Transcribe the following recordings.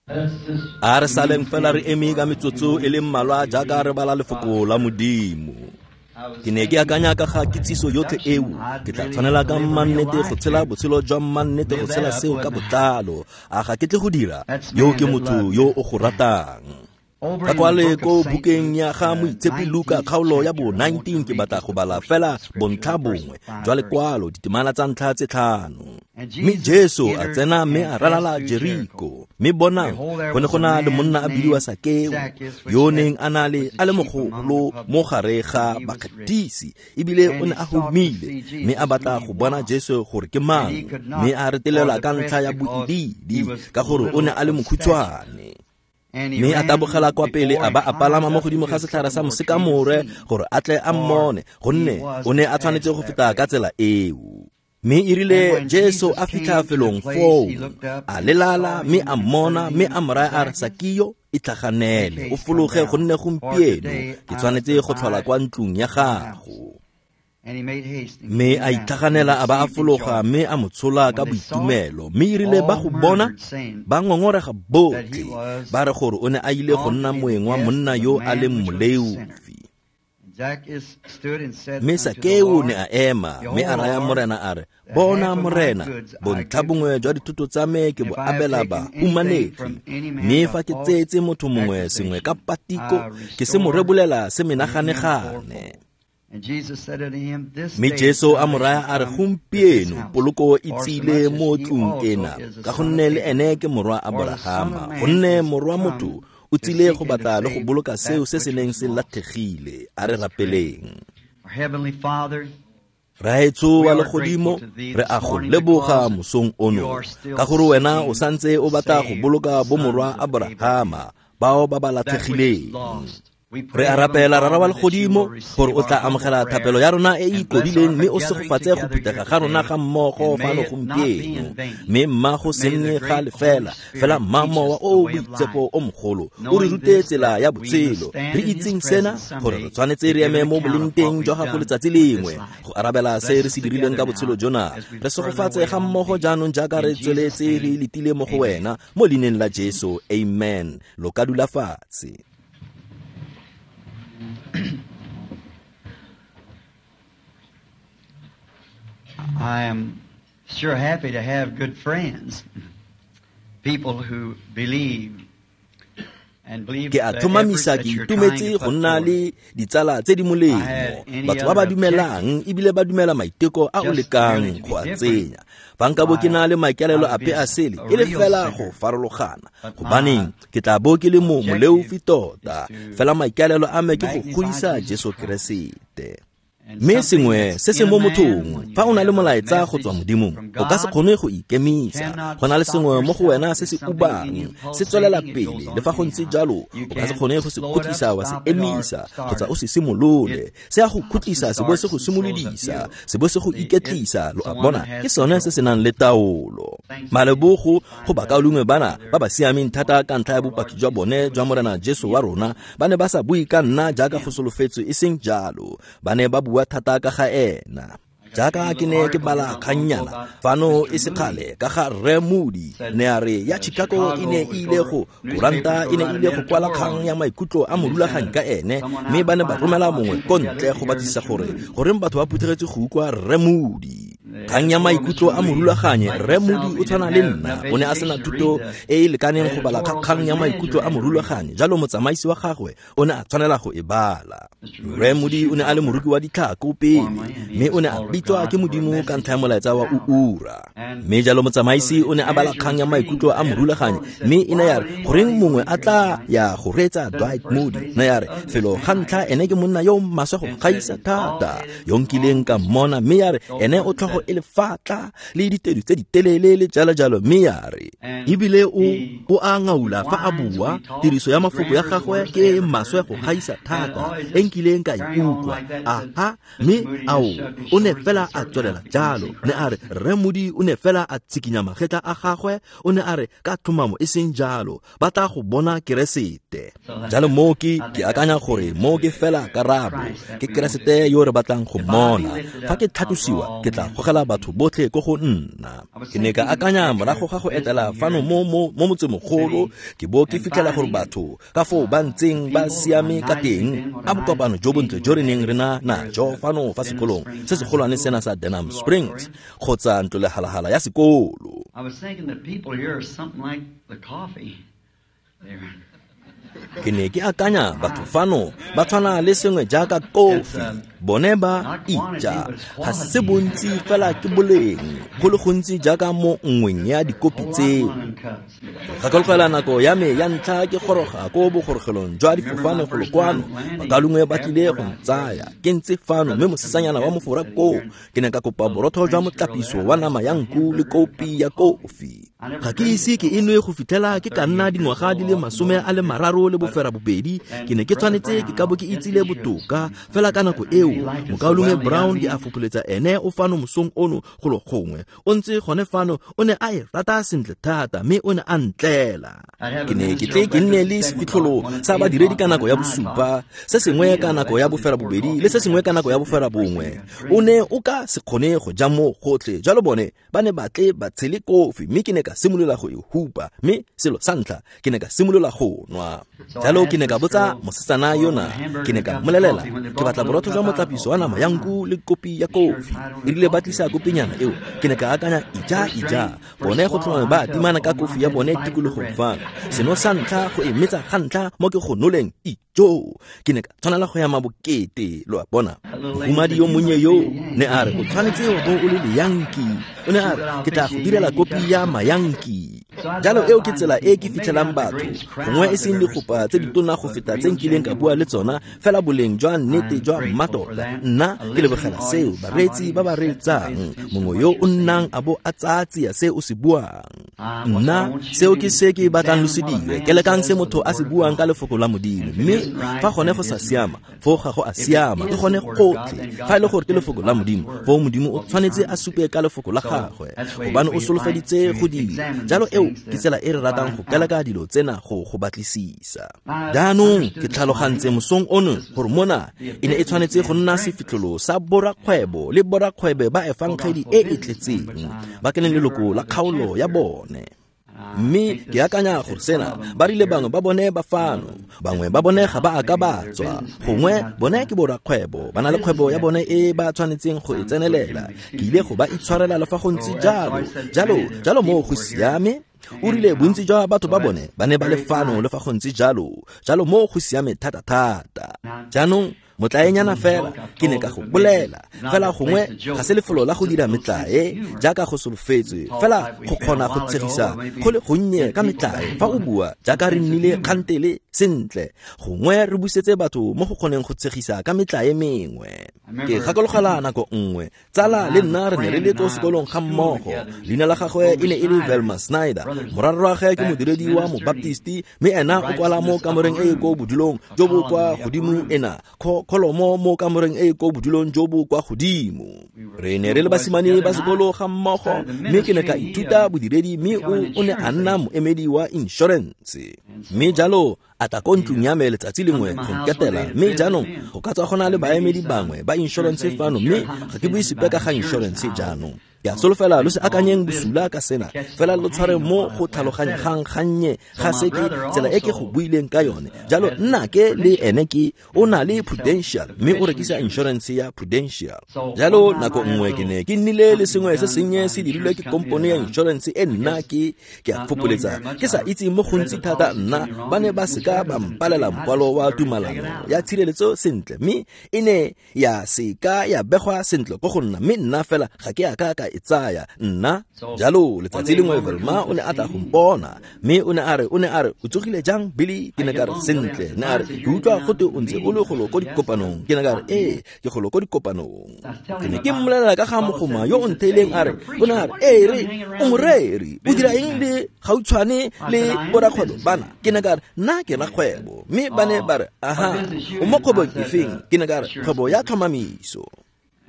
A re saleng fela re eme ka metsotso e le mmalwa jaaka re bala lefoko la Modimo. Ke ne ke akanya ka ga kitsiso yotlhe eo, ke tla tshwanela ka mmannete go tshela botshelo jwa mmannete go tshela seo ka botlalo. A ga ke tle go dira? Yo ke motho yo o go ratang. Ka kwale ko bukeng ya ga Moitshepi Luka kgaolo ya bo 19 ke batla go bala fela bontlha bongwe jwa lekwalo ditemana tsa ntlha tse 5. Mme Jesu a tsena mme a ralala Jeriko, mme bonang go ne go na le monna a bidiwa Sakeo, yo neng a na le a le mogolo mo gare ga bakgatisi, ebile o ne a humile, mme a batla go bona Jesu gore ke mang, mme a retelelwa ka ntlha ya boidiidi, ka gore o ne a le mokhutshwane. Mme a tabogela kwa pele a ba a palama mo godimo ga setlhare sa mosekamore gore a tle a mmone, gonne o ne a tshwanetse go feta ka tsela eo. Mme erile Jesu a fitlha felong foo, a lelala mme a mmona, mme a mo raya a re, Sakeo, itlhaganele, o fologe, gonne gompieno ke tshwanetse go tlhola kwa ntlong ya gago. Mme a itlhaganela a ba a fologa, mme a mo tshola ka boitumelo. Mme erile ba go bona, ba ngongorega botlhe, ba re gore o ne a ile go nna moeng wa monna yo a leng moleofi. Mme Sakeo ne a ema, mme a raya Morena a re, Bona Morena, bontlha bongwe jwa dithuto tsa me ke bo abela bahumanegi, mme fa ke tseetse motho mongwe sengwe ka patiko, ke se mo rebolela se menaganegane. Mme Jesu a mo raya a re, gompieno poloko e tsile mo tlung ena, ka gonne le ene ke morwa Aborahama, gonne morwa motho o tsile go batla le go boloka seo se se neng se latlhegile. A re rapeleng. Raetsho wa legodimo, re a go leboga mosong ono, ka gore wena o santse o batla go boloka bomorwa Aborahama bao ba ba latlhegileng. Re a rapela, Rara wa legodimo, gore o tla amogela thapelo ya rona e e ikobileng, mme o segofatse go phuthega ga rona ga mmogo fano gompieno. Mme mma go se nne ga lefela, fela mma Mowa o o Boitshepo o mogolo o re rute tsela ya botshelo. Re itseng sena, gore re tshwanetse re eme mo bolengteng jwa gago letsatsi lengwe go arabela se re se dirileng ka botshelo jona. Re segofatse ga mmogo jaanong jaaka re tsweletse re letile mo go wena, mo leineng la Jesu, amen. Lo ka dula fatshe. I am sure happy to have good friends, people who believe and believe Ke a tlhomamisa ke itumetse go nna le ditsala tse di molemo, batho ba ba dumelang ebile ba dumela maiteko a o lekang go a tsenya. Fa nka bo ke na le maikaelelo ape a sele, e le fela go farologana, gobaneng ke tla bo ke le mo moleofi tota, fela maikaelelo a me ke go godisa Jesu Keresete. Mme sengwe se se mo mothong, fa o na le molaetsa go tswa Modimong, o ka se kgone go ikemisa. Go na le sengwe mo go wena se se ubang, se tswelela pele, le fa go ntse jalo, o ka se kgone go se khutlisa wa se emisa, kgotsa o se simolole. Se a go khutlisa, se bo se go simolodisa, se bo se go iketlisa, lo a bona, ke sone se se nang le taolo. Malebogo go bakaulengwe bana ba ba siameng thata ka ntlha ya bopaki jwa bone jwa Morena Jesu wa rona, ba ne ba sa bue ka nna jaaka go solofetswe, e seng jalo, ba ne ba bua thata ka ga ena. Jaaka ke ne ke bala kgannyana fano e se kgale ka ga Rre Moody, ne a re ya Chicago e ne e ile go koranta e ne e ile go kwala kgang ya maikutlo a morulaganyi ka ene, mme ba ne ba romela mongwe ko ntle go batlisisa gore goreng batho ba phuthegetse go utlwa Rre Moody. Kgang ya maikutlo a morulaganyi, Rre Moody o tshwana le nna, o ne a sena thuto e e lekaneng go bala kgang ya maikutlo a morulaganyi, jalo motsamaisi wa gagwe o ne a tshwanela go e bala. Rre Moody o ne a le moruki wa ditlhako pele, mme o ne a bitswa ke Modimo ka ntlha ya molaetsa wa uura. Mme jalo motsamaisi o ne a bala kgang ya maikutlo a morulaganyi, mme e ne ya re goreng mongwe a tla ya go reetsa Dwight Moody, ne ya re felo ga ntlha ene ke monna yo maswe go gaisa thata yo nkileng ka mmona, mme ya re ene o tlhogo e lefatla le ditedu tse di telele le jalo jalo, mme ya re ebile o a ngaula fa a bua, tiriso ya mafoko ya gagwe ke e maswe go gaisa thata e nkileng ka e utlwa. Aha, mme ao o ne fela a tswelela jalo, ne a re Rre Moody o ne fela a tsikinya magetla a gagwe, o ne a re ka tlhomamo e seng jalo, ba tla go bona Keresete. Jalo mo ke akanya gore mo ke fela karabo, ke Keresete yo re batlang go mmona. Fa ke tlhatlosiwa, ke tla gogela batho botlhe ko go nna. Ke ne ka akanya morago ga go etela fano mo motsemogolo, ke bo ke fitlhela gore batho ka foo ba ntseng ba siame ka teng, a bokopano jo bontle jo re neng re na najo fano fa sekolong se segolwane sena sa Denham Springs kgotsa ntlo lehalahala ya sekolo. I was thinking that people here are something like the coffee. Ke ne ke akanya batho fano ba tshwana le sengwe jaaka kofi, bone ba ija, ga se bontsi fela ke boleng, go le gontsi jaaka mo nngweng ya dikopi tseo. Gakologela nako ya me ya ntlha ke goroga ko bogorogelong jwa difofane golo kwano, bakalungwe ba tlile go ntsaya, ke ntse fano mme mosetsanyana wa mofora koo, ke ne ka kopa borotho jwa motlapiso wa nama ya nku le kopi ya kofi. Ga ke ise ke e nwe go fitlhela ke ka nna dingwaga di le 38, ke ne ke tshwanetse ke ka bo ke itsile botoka fela ka nako eo. Mokaulengwe Brown ke a fopholetsa ene o fano mosong ono golo gongwe, o ntse gone fano, o ne a e rata sentle thata mme o ne a ntlela. Ke ne ke tle ke nne le sefitlholo sa badiredi ka nako ya bosupa, se sengwe ka nako ya 8:30 le se sengwe ka nako ya 9:30. O ne o ka se kgone go ja mo gotlhe, jalo bone ba ne ba tle ba tshele kofi, mme ke ne ka simolola go e hupa, mme selo sa ntlha ke ne ka simolola go nwa. Jalo ke ne ka botsa mosetsana yona, ke ne ka mmolelela ke batla borotho jwa motlapiso wa nama ya nku le kopi ya kofi. E rile ba tlisa kopinyana eo, ke ne ka akanya ija bone go tlhomame ba timana ka kofi ya bone tikologong fano. Seno sa ntlha go e metsa ga ntlha mo ke go noleng ijo, ke ne ka tshwanela go ya mabokete, lo a bona. Mohumadi yo monnye yo ne a re o tshwanetse wa bo o le leyanki, o ne a re ke tla go direla kopi ya mayanki. Jalo eo ke tsela e ke fitlhelang batho, gongwe e seng digopa tse ditona go feta tse nkileng ka bua le tsona, fela boleng jwa nnete jwa mmatota. Nna ke lebogela seo, bareetsi ba ba reetsang, mongwe yo o nnang a bo a tsaya tsia se o se buang. Nna seo ke se ke batlang lo se dire, ke lekang se motho a se buang ka lefoko la Modimo, mme fa gone go sa siama, foo ga go a siama, ke gone gotlhe. Fa e le gore ke lefoko la Modimo, foo Modimo o tshwanetse a supe ka lefoko la gagwe, gobane o solofeditse go dira. Jalo eo ke tsela e re ratang go keleka dilo tsena go batlisisa. Jaanong ke tlhalogantse mosong ono gore mona e ne e tshwanetse go nna sefitlholo sa borakgwebo le borakgwebe ba efangedi e e tletseng, ba ke leng leloko la kgaolo ya bone. Mme ke akanya gore sena ba rile bangwe ba bone ba fano, bangwe ba bone ga ba a ka ba tswa, gongwe bone ke borakgwebo, ba na le kgwebo ya bone e ba tshwanetseng go e tsenelela. Ke ile go ba itshwarela le fa go ntse jalo, jalo moo go siame. O rile bontsi jwa batho ba bone ba ne ba le fano le fa go ntse jalo, jalo moo go siame thata-thata. Jaanong motlaenyana fela ke ne ka go bolela fela, gongwe ga se lefelo la go dira metlae jaaka go solofetswe, fela go kgona go tshegisa go le gonnye ka metlae fa o bua jaaka re nnile kgantele sentle, gongwe re busetse batho mo go kgoneng go tshegisa ka metlae mengwe. Ke gakologela nako nngwe tsala le nna re ne re le ko sekolong ga mmogo, leina la gagwe e ne e le Velma Snyder, morarragwe ke modiredi wa mobaptisti, mme ena o kwala mo kamoreng e e ko bodulong jo bo kwa godimo ena kholomo mo kamoreng e e ko bodulong jo bo kwa godimo. Re ne re le basimane ba sekolo ga mmogo, mme ke ne ka ithuta bodiredi, mme o ne a nna moemedi wa insurance. Mme jalo a tla ko ntlong ya me letsatsi lengwe go nketela, mme jaanong go ka tswa go na le baemedi bangwe ba insurance fano, mme ga ke bue sepe ka ga insurance jaanong. Ke a solofela lo se akanyeng bosula ka sena, fela lo tshware mo go tlhaloganyegang gannye ga se ke tsela e ke go buileng ka yone. Jalo nna ke le ene ke o na le Prudential, mme o rekisa insurance ya Prudential. Jalo nako nngwe ke ne ke nnile le sengwe se sennye se dirilwe ke kompone ya insurance e nna ke a fopholetsa ke sa itse mo gontsi thata nna, ba ne ba seka ba mpalela mokwalo wa tumalano ya tshireletso sentle, mme e ne ya seka ya begwa sentle ko go nna, mme nna fela ga ke a ka e tsaya nna. Jalo letsatsi lengwe Velma o ne a tla go mpona, mme o ne a re o tsogile jang Billy? Ke ne ka re sentle. Ne a re ke utlwa gote o ntse o le golo ko dikopanong. Ke ne ka re ee, ke golo ko dikopanong. Ke ne ke mmolelela ka ga mogoma yo o ntheileng, a re o ne a re ee re o moreri, o dira eng le gautshwane le borakgwebo bana? Ke ne ka re nna ke rakgwebo. Mme ba ne ba re aha, o mo kgwebong efeng? Ke ne ka re kgwebo ya tlhomamiso.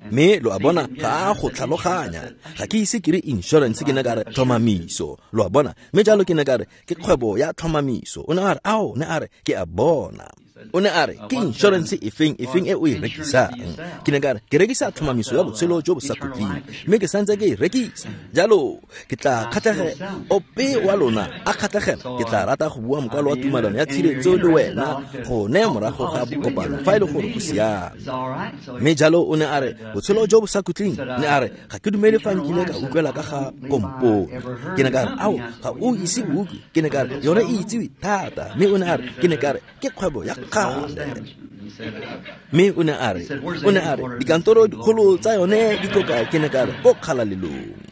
Mme lo a bona ga a go tlhaloganya, ga ke ise ke re insurance, ke ne ka re tlhomamiso, lo a bona. Mme jalo ke ne ka re ke kgwebo ya tlhomamiso. O ne a re ao, ne a re ke a bona. O ne a re, ke insurance efeng e o e rekisang? Ke ne ka re, ke rekisa tlhomamiso ya botshelo jo bo sa khutleng, mme ke santse ke e rekisa. Jalo ke tla kgatlhegela ope wa lona a kgatlhegela, ke tla rata go bua mokwalo wa tumalano ya tshireletso le wena gone morago ga bokopano fa e le gore go siame. Mme jalo o ne a re, botshelo jo bo sa khutleng, ne a re, ga ke dumele fa nkile ka utlwela ka ga kompone. Ke ne ka re, ao, ga o ise o utlwe. Ke ne ka re, yone e itsiwe thata. Mme o ne a re, ke ne ka re, ke kgwebo ya kgale. Mme o ne a re, dikantoro dikgolo tsa yone di ko kae? Ke ne ka re, ko Kgalalelong.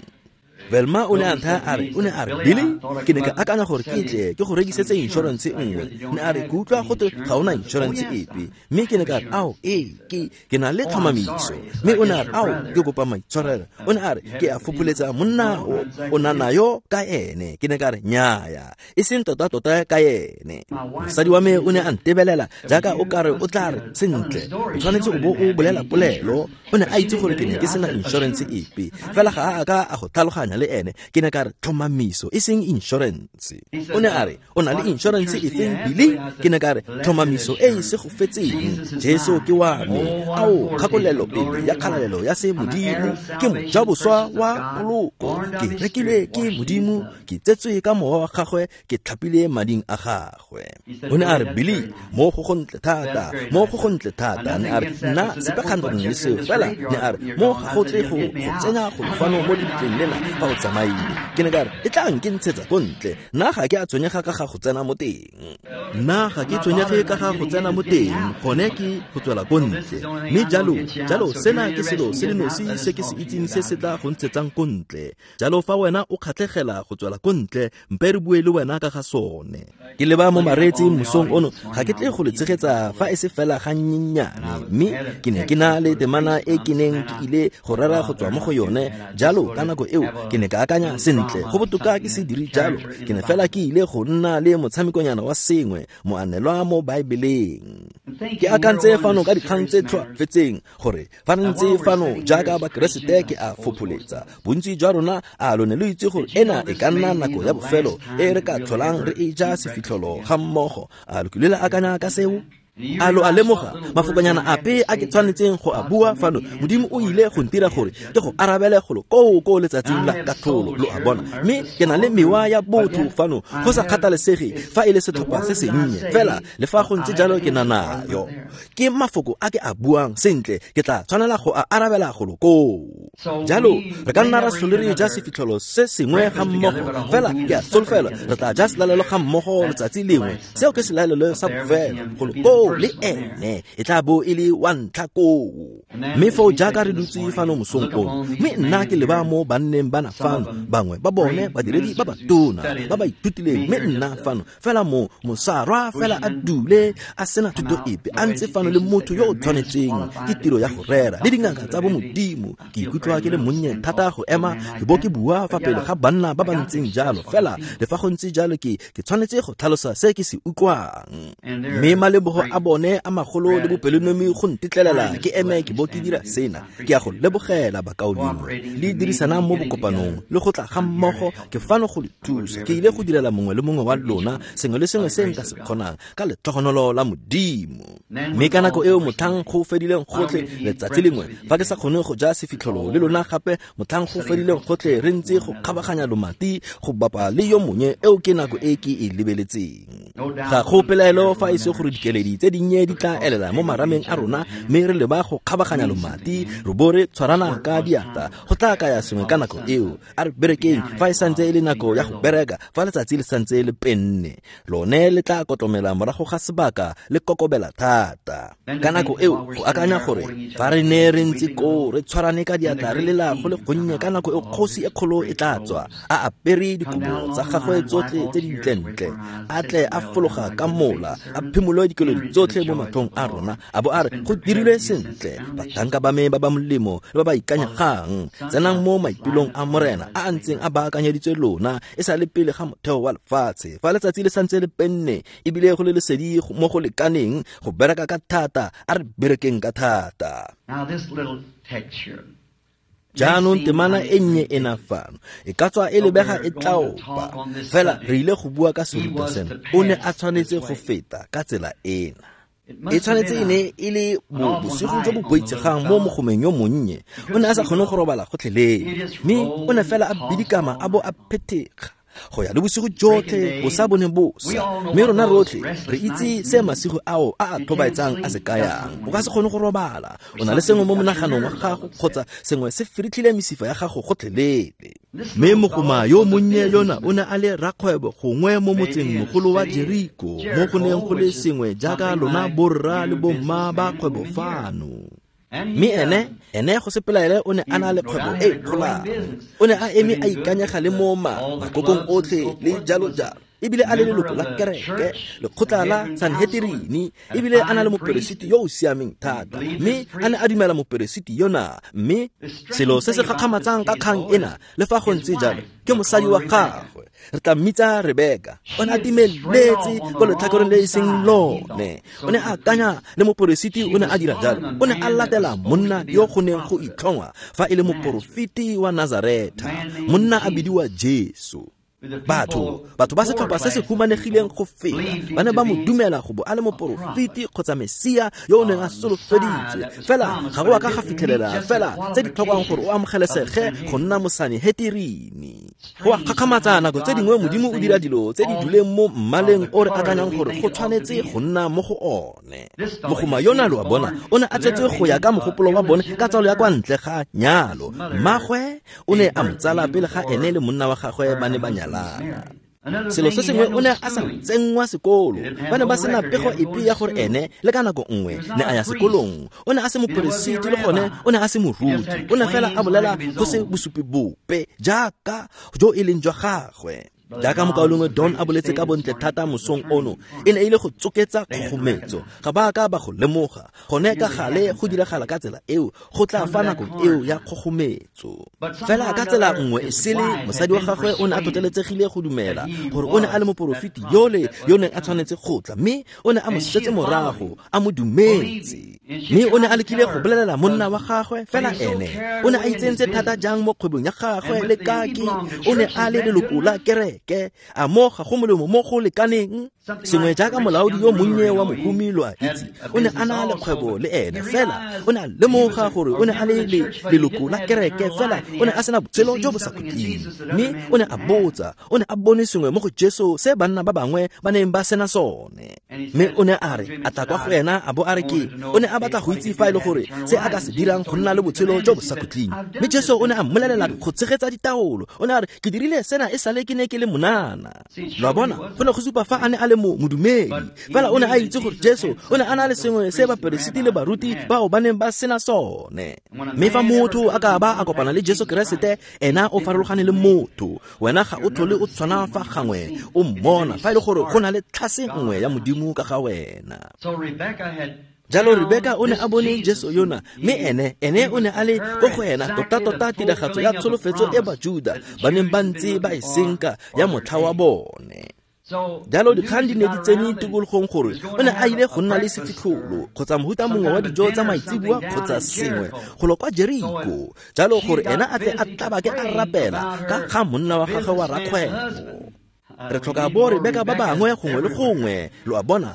Velma o ne a nthaya a re, Billy, ke ne ka akanya gore ke tle ke go rekisetse insurance nngwe. Ne a re, ke utlwa gote ga ona insurance epe. Mme ke ne ka re, ao, ee, ke na le tlhomamiso. Mme o ne a re, ao, ke kopa maitshwarelo. O ne a re, ke a fopholetsa monna o na nayo ka ene. Ke ne ka re, nnyaya, e seng tota-tota ka ene. Mosadi wa me o ne a ntebelela jaaka o ka re o tla re, sentle, o tshwanetse o bo o bolela polelo. O ne a itse gore ke ne ke sena insurance epe, fela ga a ka a go tlhaloganya le ene. Ke ne ka re, tlhomamiso e seng insurance. O ne a re, o na le insurance efeng, Billy? Ke ne ka re, tlhomamiso e e segofetseng, Jesu ke wa me. Ao, kgakolelo pele ya kgalalelo ya se Modimo, ke mojaboswa wa poloko, ke rekilwe ke Modimo, ke tsetswe ka mowa wa gagwe, ke tlhapile mading a gagwe. O ne a re, Billy, mo go gontle thata, mo go gontle thata. Ne a re, nna sepe kgatlhanong le seo, fela ne a re, mo ga go tle go tsenya go fano mo lebitleng lena fa o tsamaile. Ke ne ka re, e tla nke ntshetsa ko ntle. Nna ga ke a tshwenyega ka ga go tsena mo teng. Nna ga ke tshwenyege ka ga go tsena mo teng, gone ke go tswela ko ntle. Mme jalo sena ke selo se le nosi se ke se itseng se se tla go ntshetsang ko ntle. Jalo fa wena o kgatlhegela go tswela ko ntle, mpe re bue le wena ka ga sone. Ke leba mo mareetseng mosong ono, ga ke tle go le tshegetsa fa e se fela ga nnyenyane, mme ke ne ke na le temana e ke neng ke ile go rera go tswa mo go yone. Jalo ka nako eo ke ne ka akanya, sentle, go botoka ke se dire jalo. Ke ne fela ke ile go nna le motshamekonyana wa sengwe, moanelwa mo Baebeleng. Ke akantse fano ka dikgang tse tlhoafetseng gore fa re ntse fano jaaka Bakeresete ke a fopholetsa. Bontsi jwa rona a lone lo itse gore ena e ka nna nako ya bofelo e re ka tlholang re e ja sefitlholo ga mmogo. A lo kile la akanya ka seo? A lo a lemoga mafokonyana ape a ke tshwanetseng go a bua fano? Modimo o ile go ntira gore ke go arabele golo koo ko letsatsing la katlholo, lo a bona. Mme ke na le mewa ya botho fano, go sa kgathalesege fa e le setlhopha se sennye, fela le fa go ntse jalo ke na nayo. Ke mafoko a ke a buang, sentle, ke tla tshwanela go a arabela golo koo. Jalo re ka nna ra tlhole re ja sefitlholo se sengwe ga mmogo, fela ke a solofela re tla ja selalelo ga mmogo letsatsi lengwe. Seo ke selalelo sa bofelo golo koo le ene, e tla bo e le wa ntlha koo. Mme foo jaaka re dutse fano mosong ono, mme nna ke leba mo banneng bana fano, bangwe ba bone badiredi ba batona ba ba ithutileng, mme nna fano fela mo mosarwa fela a dule a sena thuto epe, a ntse fano le motho yo o tshwanetseng ke tiro ya go rera le dingaka tsa bo Modimo. Ke ikutlwa ke le monnye thata go ema ke bo ke bua fa pele ga banna ba ba ntseng jalo, fela le fa go ntse jalo ke tshwanetse go tlhalosa se ke se utlwang. Mme malebogo a bone a magolo le bopelonomi go ntetlelela ke eme ke bo ke dira sena. Ke a go lebogela bakaulengwe le dirisanang mo bokopanong le go tla ga mmogo. Ke fano go le thusa. Ke ile go direla mongwe le mongwe wa lona sengwe le sengwe se nka se kgonang ka letlhogonolo la Modimo. Mme ka nako eo motlhang go fedileng gotlhe letsatsi lengwe, fa ke sa kgone go ja sefitlholo le lona gape, motlhang go fedileng gotlhe re ntse go kgabaganya lomati go bapa le yo mongwe, eo ke nako e ke e lebeletseng. Ga go pelaelo fa e se gore dikeledi tse dinnye di tla elela mo marameng a rona, mme re leba go kgabaganya lomati re bo re tshwarana ka diatla. Go tla kaya sengwe ka nako eo. A re berekeng fa e santse e le nako ya go bereka, fa letsatsi le santse le penne, lone le tla kotlomela morago ga sebaka le kokobela thata. Ka nako eo go akanya gore fa re ne re ntse koo re tshwarane ka diatla re lela go le gonnye, ka nako eo kgosi e kgolo e tla tswa a apere dikobo tsa gagwe tsotlhe tse dintlentle, a tle a fologa ka mola, a phimole dikeledi tsotlhe mo matlhong a rona, a bo a re, go dirilwe sentle, batlhanka ba me ba ba molemo le ba ba ikanyegang, tsenang mo maipelong a Morena a a ntseng a baakanyeditswe lona e sa le pele ga motheo wa lefatshe. Fa letsatsi le santse le penne ebile go le lesedi mo go lekaneng go bereka ka thata, a re berekeng ka thata. Jaanong temana e nnye ena fano e ka tswa e lebega e tlaopa, fela re ile go bua ka serutwa sena. O ne a tshwanetse go feta ka tsela ena. E tshwanetse e ne e le bosigo jo bo boitshegang mo mogomeng yo monnye. O ne a sa kgone go robala gotlhelele, mme o ne fela a bidikama a bo a phethega go ya le bosigo jotlhe bo sa bone bosa. Mme rona rotlhe re itse se masigo ao a a tlhobaetsang a se kayang. O ka se kgone go robala, o na le sengwe mo monaganong wa gago kgotsa sengwe se firitlhile mesifa ya gago gotlhelele. Mme mogoma yo monnye yona o ne a le rakgwebo gongwe mo motseng mogolo wa Jeriko, mo go neng go le sengwe jaaka lona borra le bomma ba kgwebo fano. Mme ene go se pelaele o ne a na le kgwebo e kgolang. O ne a eme a ikanyega le mo makokong otlhe le jalo jalo, ebile a le leloko la kereke, lekgotla la Sanhedrini, ebile a na le moperesiti yo o siameng thata, mme a ne a dumela moperesiti yona. Mme selo se se gakgamatsang ka kgang ena, le fa go ntse jalo, ke mosadi wa gagwe. Re tla mmitsa Rebeka. O ne a timeletse ko letlhakoreng le e seng lone. O ne a akanya le moperesiti, o ne a dira jalo. O ne a latela monna yo go neng go itlhongwa fa e le moporofeti wa Nazaretha, monna a bidiwa Jesu. Batho ba setlhopha se se humanegileng go feta ba ne ba mo dumela go bo a le moporofeti kgotsa Mesia yo o neng a solofeditswe. Fela ga go a ka ga fitlhelela fela tse di tlhokwang gore o amogelesege go nna Mosanehetirini. Go a gakgamatsa nako tse dingwe Modimo o dira dilo tse di duleng mo mmaleng o re akanyang gore go tshwanetse go nna mo go one. Mogoma yona, lo a bona, o ne a tsetswe go ya ka mogopolo wa bone ka tsalo ya kwa ntle ga nyalo. Mmagwe o ne a mo tsala pele ga ene le monna wa gagwe ba ne ba nyalana. Selo se sengwe, o ne a sa tsenngwa sekolo. Ba ne ba sena pego epe ya gore ene le ka nako nngwe ne a ya sekolong. O ne a se moperesiti le gone o ne a se moruti. O ne fela a bolela go se bosupi bope jaaka jo e leng jwa gagwe. Jaaka mokaulengwe Don a boletse ka bontle thata mosong ono, e ne e ile go tsoketsa kgogometso. Ga ba ka ba go lemoga. Gone ka gale go diragala ka tsela eo, go tla fa nakong eo ya kgogometso. Fela ka tsela nngwe e sele, mosadi wa gagwe o ne a tlhotlheletsegile go dumela gore o ne a le moporofeti yole yo neng a tshwanetse go tla, mme o ne a mo setse morago, a mo dumetse. Mme o ne a lekile go bolelela monna wa gagwe, fela ene o ne a itsentse thata jang mo kgwebong ya gagwe le kaki. O ne a le leloko la kereke, a mo ga go molemo mo go lekaneng. Sengwe jaaka molaodi yo monnye wa mohumi, lo a itse, o ne a na le kgwebo le ene, fela o ne a lemoga gore o ne a le leloko la kereke, fela o ne a sena botshelo jo bo sa khutleng. Mme o ne a botsa, o ne a bone sengwe mo go Jesu se banna ba bangwe ba neng ba sena sone. Mme o ne a re, a tla kwa go ena a bo a re ke, o ne a batla go itse fa e le gore se a ka se dirang go nna le botshelo jo bo sa khutleng. Mme Jesu o ne a mmolelela go tshegetsa ditaolo. O ne a re, ke dirile sena e sale ke ne ke le monana. Lo a bona, go ne go supa fa a ne a le modumedi. Fela o ne a itse gore Jesu o ne a na le sengwe se baperesiti le baruti bao ba neng ba sena sone. Mme fa motho a ka ba a kopana le Jesu Keresete, ena o farologane le motho. Wena ga o tlhole o tshwana fa gangwe o mmona, fa e le gore go na le tlhase nngwe ya Modimo ka ga wena. Jalo Rebeka o ne a bone Jesu yona, mme ene o ne a le ko go ena tota-tota tiragatso ya tsholofetso e Bajuda ba neng ba ntse ba e senka ya motlha wa bone. Jalo dikgang di ne di tsene tikologong gore o ne a ile go nna le sefitlholo kgotsa mohuta mongwe wa dijo tsa maitseboa kgotsa sengwe golo kwa Jeriko, jalo gore ena a tle a tlabake a rapela ka ga monna wa gagwe wa rakgwebo. Re tlhoka bo Rebeka ba bangwe gongwe le gongwe. Lo a bona,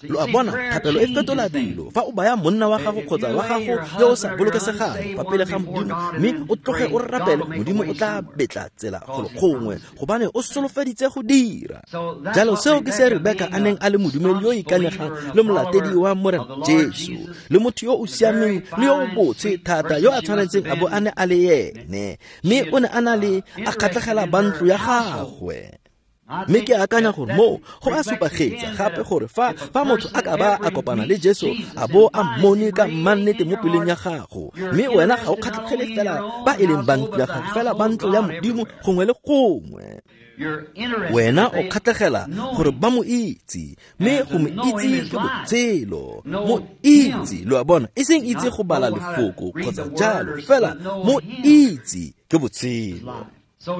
thapelo e fetola dilo. Fa o baya monna wa gago kgotsa wa gago yo o sa bolokesegang fa pele ga Modimo, mme o tloge o rapele, Modimo o tla betla tsela golo gongwe, gobane o solofeditse go dira. Jalo seo ke se Rebeka a neng a le modumedi yo o ikanyegang le molatedi wa Morena Jesu, le motho yo o siameng le yo o botshe thata yo a tshwanetseng a bo a ne a le ene. Mme o ne a na le a kgatlhegela ba ntlo ya gagwe. Mme ke akanya gore moo go a supagetsa gape gore fa motho a ka ba a kopana le Jesu a bo a mmone ka mmannete mo pelong ya gago, mme wena ga o kgatlhegele fela ba e leng ba ntlo ya gago, fela ba ntlo ya Modimo gongwe le gongwe. Wena o kgatlhegela gore ba mo itse, mme go mo itse ke botshelo. Mo itse, lo a bona, e seng itse go bala lefoko kgotsa jalo, fela mo itse ke botshelo.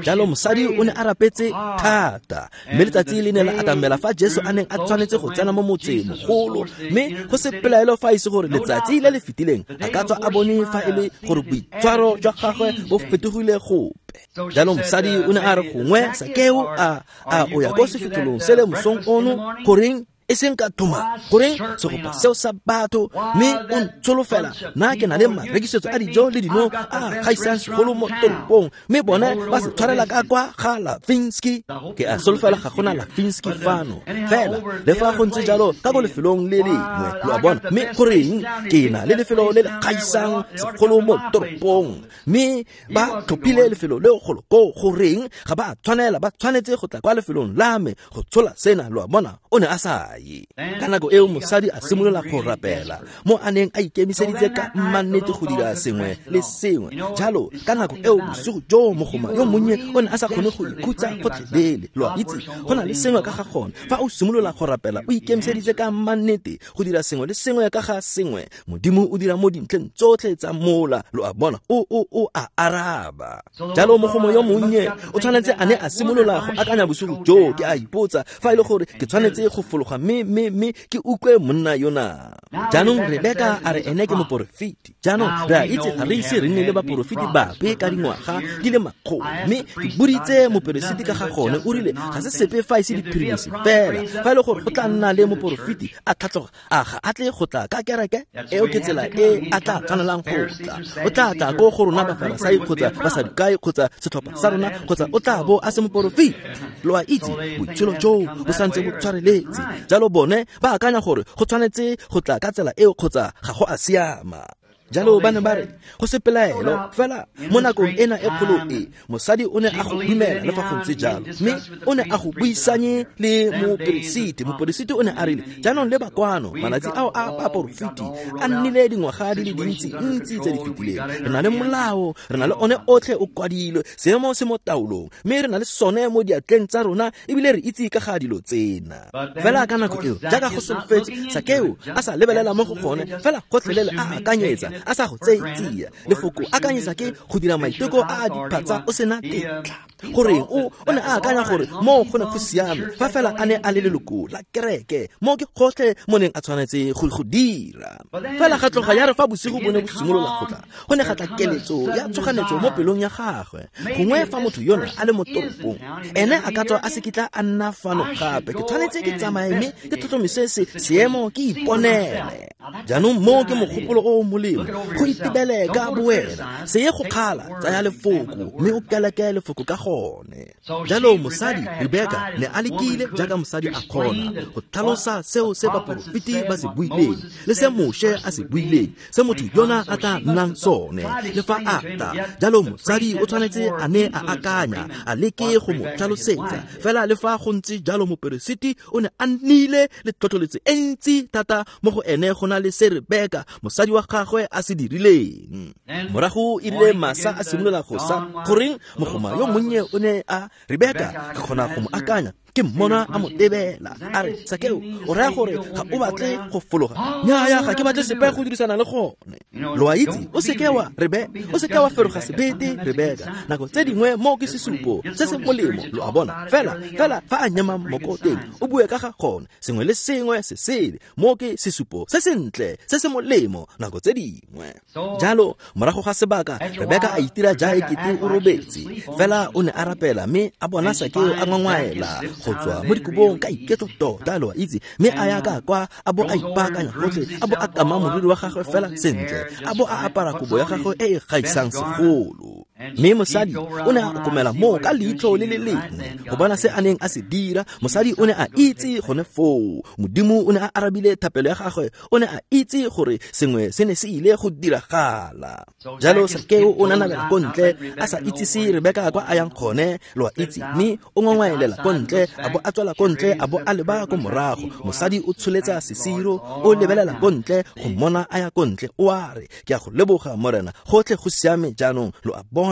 Jalo mosadi o ne a rapetse thata, mme letsatsi le ne la atamela fa Jesu a neng a tshwanetse go tsena mo motseng mogolo, mme go se pelaelo fa e se gore letsatsi le le fetileng a ka tswa a bone fa e le gore boitshwaro jwa gagwe bo fetogile gope. Jalo mosadi o ne a re gongwe Sakeo a o ya ko sefitlholong se le mosong ono, goreng E seng ka thoma goreng segopa seo sa batho mme o ntsholofela nna ke na le marekisetso a dijo le dino a gaisang segolo mo toropong mme bone ba se tshwarela ka kwa ga Lavinski. Ke a solofela ga gona Lavinski fano fela le fa go ntse jalo ka ko lefelong le lengwe, lo a bona. Mme goreng ke na le lefelo le le gaisang segolo mo toropong mme ba tlhophile lefelo leo golo ko goreng ga ba tshwanela, ba tshwanetse go tla kwa lefelong la me go tshola sena, lo a bona. O ne a sa ye. Ka nako eo mosadi a simolola go rapela mo a neng a ikemiseditse ka mmannete go dira sengwe le sengwe. Jalo ka nako eo bosigo jo mogoma yo monnye o ne a sa kgone go ikhutsa gotlhelele, lo a itse. Go na le sengwe ka ga gone fa o simolola go rapela o ikemiseditse ka mmannete go dira sengwe le sengwe ka ga sengwe, Modimo o dira mo dintlheng tsotlhe tsa mola, lo a bona, o a araba. Jalo mogoma yo monnye o tshwanetse a ne a simolola go akanya bosigo jo, ke a ipotsa fa e le gore ke tshwanetse go fologa mme ke utlwe monna yona. Jaanong Rebeka a re ene ke moporofeti. Jaanong re a itse ga re ise re nne le baporofeti bape ka dingwaga di le makgolo, mme ke boditse moperesiti ka ga gone, o rile ga se sepe fa e se diphirimisi fela. Fa e le gore go tla nna le moporofeti a tlhatloga, a ga a tle go tla ka kereke eo, ke tsela e a tla tshwanelang go tla. O tla tla ko go rona Bafarasai kgotsa Basadukai kgotsa setlhopha sa rona, kgotsa o tla bo a se moporofeti. Lo a itse botshelo joo bo santse bo tshwareletse. Jalo bone ba akanya gore go tshwanetse go tla ka tsela eo kgotsa ga go a siama. Jalo ba ne ba re go se pelaelo fela mo nakong ena e kgolo e mosadi o ne a go dumela le fa go ntse jalo, mme o ne a go buisanye le moperesiti. Moperesiti o ne a rile jaanong le bakwano malatsi ao a baporofeti a nnile dingwaga di le dintsi ntsi tse di fetileng. Re na le molao, re na le one otlhe o kwadilwe, seemo se mo taolong, mme re na le sone mo diatleng tsa rona ebile re itse ka ga dilo tsena. Fela ka nako eo jaaka go solofetse, Sakeo a sa lebelela mo go gone fela gotlhelele a akanyetsa, a sa go tseye tsia. Lefoko akanyetsa ke go dira maiteko a a diphatsa o sena tetla. Goreng o ne a akanya gore mo go ne go siame fa fela a ne a le leloko la kereke, mo ke gotlhe mo neng a tshwanetse go dira. Fela ga tloga ya re fa bosigo bo ne bo simolola go tla, go ne ga tla keletso ya tshoganetso mo pelong ya gagwe. Gongwe fa motho yona a le mo toropong, ene a ka tswa a se kitla a nna fano gape, ke tshwanetse ke tsamaye mme ke tlhotlhomise seemo ke iponele. Jaanong mo ke mogopolo o molemo go itebele ka bowena, se ye go kgala, tsaya lefoko mme o keleke lefoko ka gone. Jalo mosadi Rebeka ne a lekile jaaka mosadi a kgona go tlhalosa seo se baporofeti ba se buileng le se Moshe a se buileng, se motho yona a tla nnang sone le fa a tla. Jalo mosadi o tshwanetse a ne a akanya, a leke go mo tlhalosetsa. Fela le fa go ntse jalo moperesiti o ne a nnile le tlhotlheletso e ntsi thata mo go ene go na le se Rebeka mosadi wa gagwe a se dirileng. Morago e rile masa a simolola go sa, goreng mogoma yo monnye o ne a Rebeka ke kgona go mo akanya, ke mmona a mo tebela a re, Sakeo o raya gore ga o batle go fologa? Nnyaya, ga ke batle sepe go dirisana le gone. Lo a itse, o seke wa o seke wa feroga sebete Rebeka. Nako tse dingwe mo ke sesupo se se molemo, lo a bona. Fela fa a nyema moko teng o bue ka ga gone, sengwe le sengwe se sele, mo ke sesupo se sentle se se molemo nako tse dingwe. Jalo morago ga sebaka Rebeka a itira ja ekete o robetse, fela o ne a rapela mme a bona Sakeo a ngwangwaela go tswa mo dikobong ka iketlo tota, lo a itse, mme a ya ka kwa a bo a ipaakanya gotlhe, a bo a kama moriri wa gagwe fela sentle, a bo a apara kobo ya gagwe e e gaisang segolo. Mme mosadi o ne a okomela moo ka leitlho le le lengwe go bona se a neng a se dira. Mosadi o ne a itse gone foo Modimo o ne a arabile thapelo ya gagwe, o ne a itse gore sengwe se ne se ile go diragala. Jalo Sakeo o nanabela ko ntle a sa itsise Rebeka kwa a yang gone, lo a itse, mme o ngongwaelela ko ntle, a bo a tswela ko ntle, a bo a leba ko morago. Mosadi o tsholetsa sesiro, o lebelela ko ntle go mmona a ya ko ntle, o a re, ke a go leboga Morena, gotlhe go siame jaanong, lo a bona.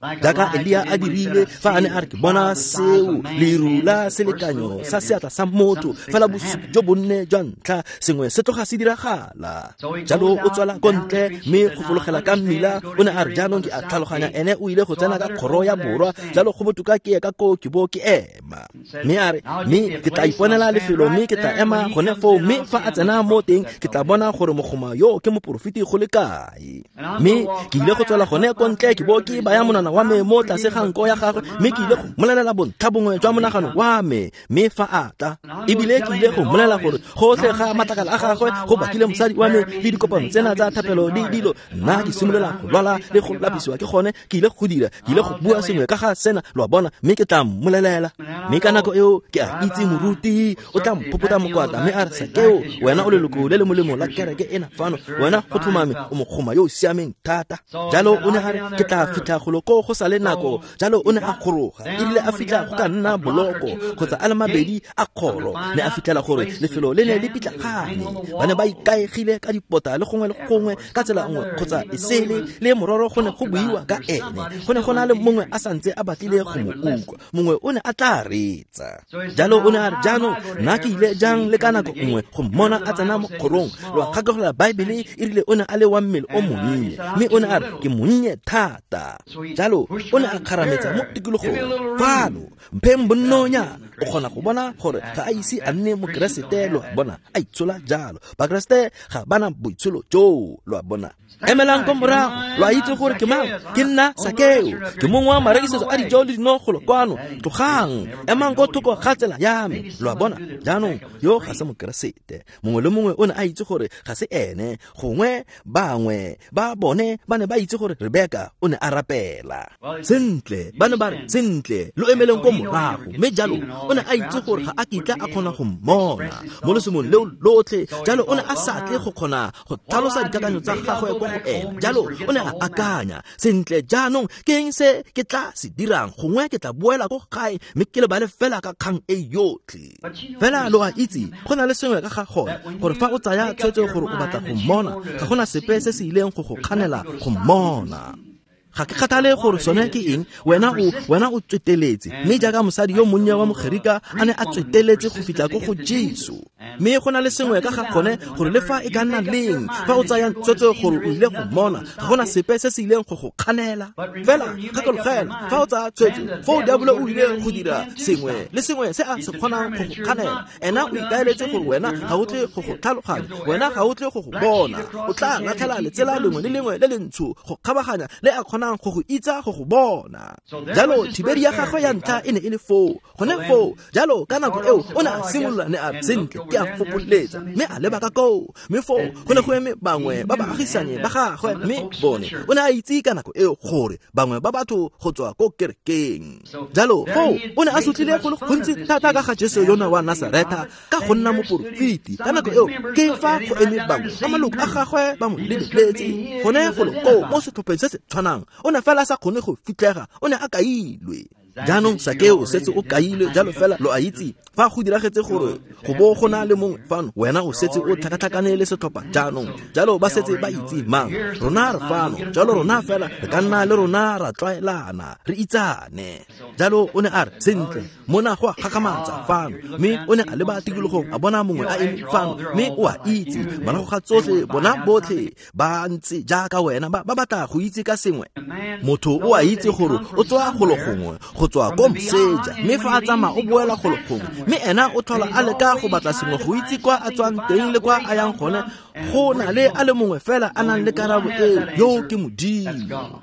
Jaaka Elia a dirile fa a ne a re, ke bona seo leru la selekanyo sa seatla sa motho, fela bosupi jo bonne jwa ntlha, sengwe se tloga se diragala. Jalo o tswela ko ntle mme go fologela ka mmila, o ne a re, jaanong ke a tlhaloganya ene o ile go tsena ka kgoro ya borwa, jalo go botoka ke ye ka koo ke bo ke ema. Mme a re, mme ke tla iponela lefelo mme ke tla ema gone foo, mme fa a tsena mo teng ke tla bona gore mogoma yo ke moporofeti go le kae. Mme ke ile go tswela gone ko ntle ke bo ke ke baya monwana wa me mo tlase ga nko ya gagwe, mme ke ile go mmolelela bontlha bongwe jwa monagano wa me. Mme fa a tla, ebile ke ile go mmolelela gore gotlhe ga matlakala a gagwe go bakile mosadi wa me le dikopano tsena tsa thapelo le dilo. Nna ke simolola go lwala le go lapisiwa ke gone. Ke ile go dira, ke ile go bua sengwe ka ga sena, lo a bona, mme ke tla mmolelela. Mme ka nako eo ke a itse moruti o tla mphopota mokwatla mme a re, Sakeo, wena o leloko le le molemo la kereke ena fano, wena go tlhomame o mogoma yo o siameng thata. Jalo o ne a re, ke tla fitlha golo ko go sa le nako. Jalo o ne a goroga. Erile a fitlha go ka nna boloko kgotsa a le mabedi a kgoro, ne a fitlhela gore lefelo le ne le pitlagane. Ba ne ba ikaegile ka dipota le gongwe le gongwe ka tsela nngwe kgotsa e sele, le mororo go ne go buiwa ka ene. Go ne go na le mongwe a santse a batlile go mo utlwa, mongwe o ne a tla reetsa. Jalo o ne a re, jaanong nna ke ile jang le ka nako nngwe go mmona a tsena mo kgorong? Lo a gakologelwa Baebele e rile o ne a le wa mmele o monnye, mme o ne a re, ke monnye thata. Jalo o ne a kgarametsa mo tikologong fano, mpheng bonnonyana. O kgona go bona gore ga a ise a nne mokeresete, lo a bona, a itshola jalo. Bakeresete ga bana boitsholo joo, lo a bona. Emelang ko morago, lo a itse gore ke mang? Ke nna Sakeo, ke mongwe wa marekisetso a dijo le dino golo kwano. Tlogang, emang ko thoko ga tsela ya me, lo a bona. Jaanong yo ga se mokeresete. Mongwe le mongwe o ne a itse gore ga se ene. Gongwe bangwe ba bone ba ne ba itse gore Rebeka o ne a rapela sentle. Ba ne ba re, sentle, lo emeleng ko morago. Mme jalo o ne a itse gore ga a kitla a kgona go mmona mo lesomong leo lotlhe. Jalo o ne a sa tle go kgona go tlhalosa dikakanyo tsa gagwe kwa go ena. Jalo o ne a akanya, sentle, jaanong ke eng se ke tla se dirang? Gongwe ke tla boela ko gae mme ke lebale fela ka kgang e yotlhe. Fela lo a itse, go na le sengwe ka ga gone, gore fa o tsaya tshwetso gore o batla go mmona, ga gona sepe se se ileng go go kganela go mmona. Ga ke kgathale gore sone ke eng, wena o tsweteletse. Mme jaaka mosadi yo monnye wa Mogerika a ne a tsweteletse go fitlha ko go Jesu. Mme go na le sengwe ka ga gone gore le fa e ka nna leng, fa o tsaya tshwetso gore o ile go mmona, ga gona sepe se se ileng go go kganela. Fela gakologela, fa o tsaya tshwetso, foo diabolo o ile go dira sengwe le sengwe se a se kgonang go go kganela. Ena o ikaeletse gore wena ga o tle go go tlhaloganya, wena ga o tle go go bona. O tla latlhela letsela lengwe le lengwe le lentsho go kgabaganya le a kgonang go go itsa go go bona. Jalo thibedi ya gagwe ya ntlha e ne e le foo, gone foo. Jalo ka nako eo o ne a simolola, ne a sentle, ke a fopoletsa, mme a leba ka koo. Mme foo go ne go eme bangwe ba baagisane ba gagwe, mme bone o ne a itse ka nako eo gore bangwe ba batho go tswa ko kerekeng. Jalo foo o ne a sotlile go le gontsi thata ka ga Jesu yona wa Nasaretha ka go nna moporofeti. Ka nako eo ke fa go eme bangwe ba maloko a gagwe ba mo lebeletse gone golo koo mo setlhopheng se se tshwanang. O ne fela a sa kgone go fitlhega, o ne a kailwe. Jaanong Sakeo setse o kailwe. Jalo fela lo a itse, fa go diragetse gore go bo go na le mongwe fano, wena o setse o tlhakatlhakane le setlhopha jaanong. Jalo ba setse ba itse mang, rona re fano. Jalo rona fela re ka nna le rona ra tlwaelana, re itsane. Jalo o ne a re, sentle, mona go a gakgamatsa fano. Mme o ne a leba tikologong, a bona mongwe a eme fano. Mme o a itse, morago ga tsotlhe, bona botlhe ba ntse jaaka wena, ba batla go itse ka sengwe. Motho o a itse gore o tswa golo gongwe, go tswa ko moseja, mme fa a tsamaya o boela golo gongwe. Mme ena o tlhola a leka go batla sengwe go itse kwa a tswang teng le kwa a yang gone. Go na le a le mongwe fela a nang le karabo eo, yo ke Modimo.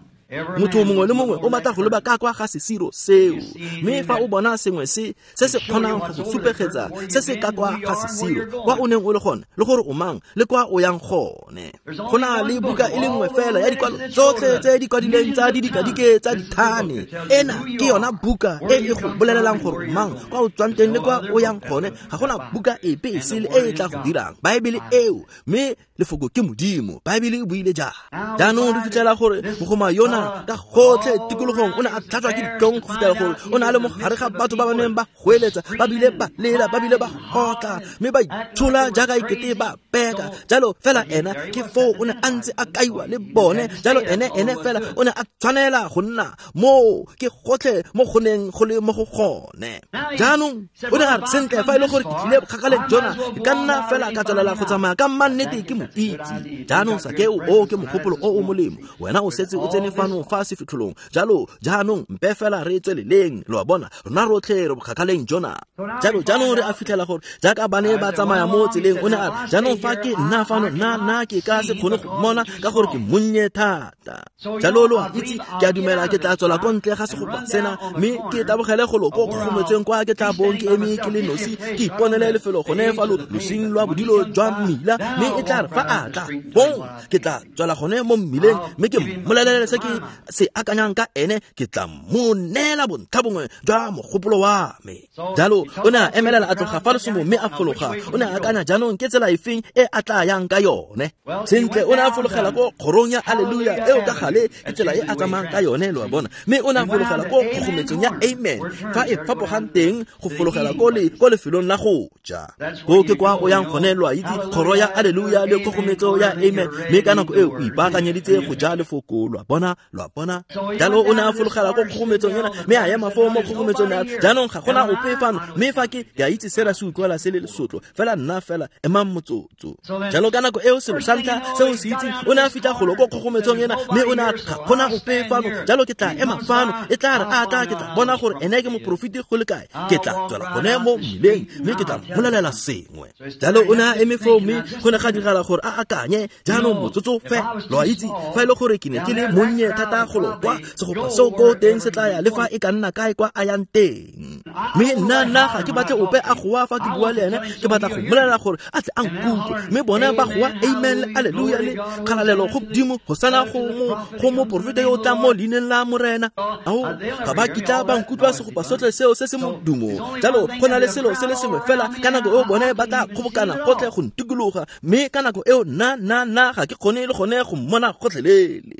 Motho mongwe le mongwe o batla go leba ka kwa ga sesiro seo. Mme fa o bona sengwe se se kgonang go go supegetsa se se ka kwa ga sesiro, kwa o neng o le gone, le gore o mang, le kwa o yang gone. Go na le buka e le nngwe fela ya dikwalo tsotlhe tse di kwadileng tsa didikadike tsa dithane. Ena ke yona buka e e go bolelelang gore o mang, kwa o tswang teng le kwa o yang gone. Ga gona buka epe e sele e e tla go dirang. Baebele eo, mme lefoko ke Modimo. Baebele e buile jang. Jaanong re fitlhela gore mogoma yona ka gotlhe tikologong o ne a tlhatswa ke ditlhong go fitlhela gore o ne a le mo gare ga batho ba ba neng ba goeletsa, ba bile ba lela, ba bile ba gotla, mme ba itshola jaaka ekete ba peka. Jalo fela ena ke foo o ne a ntse a kaiwa le bone. Jalo ene fela o ne a tshwanela go nna moo, ke gotlhe mo go neng go le mo go gone. Jaanong o ne a re, sentle, fa e le gore ke tlile kgakaleng jona, ke ka nna fela ka tswelela go tsamaya ka mannete ke mo itse. Jaanong Sakeo, o ke mogopolo o o molemo. Wena o setse o tsene fano fano fa sefitlholong. Jalo jaanong mpe fela re tsweleleng, lo a bona, rona rotlhe re bokgakaleng jona. Jalo jaanong re a fitlhela gore jaaka ba ne ba tsamaya mo tseleng, o ne a re, jaanong fa ke nna fano, nna ke ka se kgone go mmona ka gore ke monnye thata. Jalo lo a itse, ke a dumela ke tla tswela ko ntle ga segopa sena, mme ke tabogele golo ko kgogometseng kwa ke tla bong ke eme ke le nosi, ke iponele lefelo gone fa losing lwa bodilo jwa mmila, mme e tla re fa a tla bong ke tla tswela gone mo mmileng, mme ke mmolelele se ke se akanyang ka ene, ke tla mo neela bontlha bongwe jwa mogopolo wa me. Jalo o ne a emelela a tloga fa lesomo mme a fologa. O ne a akanya, jaanong ke tsela efeng e a tla yang ka yone? Sentle, o ne a fologela ko kgorong ya Alleluia, eo ka gale ke tsela e a tsamayang ka yone, lo a bona. Mme o ne a fologela ko kgogometsong ya Amen, fa e fapogang teng go fologela ko lefelong la go ja. Ko ke kwa o yang gone, lo a itse, kgoro ya Alleluia le kgogometso ya Amen, mme ka nako eo o ipaakanyeditse go ja lefoko, lo a bona, lo a bona. Jalo o ne a fologela ko kgogometsong ena, mme a ema foo mo kgogometsong ya, jaanong ga gona ope fano, mme fa ke a itse sena se utlwala se le lesotlo, fela nna fela emang motsotso. Jalo ka nako eo selo sa ntlha se o se itseng, o ne a fitlha golo ko kgogometsong ena, mme o ne a ga gona ope fano, jalo ke tla ema fano, e tla re a tla ke tla bona gore ene ke moporofeti go le kae, ke tla tswela gone mo mmileng, mme ke tla mmolelela sengwe. Jalo o ne a eme foo, mme go ne ga diragala gore a akanye, jaanong motsotso fe, lo a itse, fa e le gore ke ne ke le monnye thata golo kwa segopa seo ko teng se tla ya le fa e ka nna kae kwa a yang teng. Mme nna ga ke batle ope a goa fa ke bua le ene, ke batla go mmolelela gore a tle a nkutlwe. Mme bone ba goa amen le alleluia le kgalalelo go Modimo, hosana go moporofeta yo o tlang mo leineng la Morena. Ao, ga ba kitla ba nkutlwa segopa sotlhe seo se se modumo. Jalo go na le selo se le sengwe fela, ka nako eo bone ba tla kgobokana gotlhe go ntikologa, mme ka nako eo nna ga ke kgone le gone go mmona gotlhelele.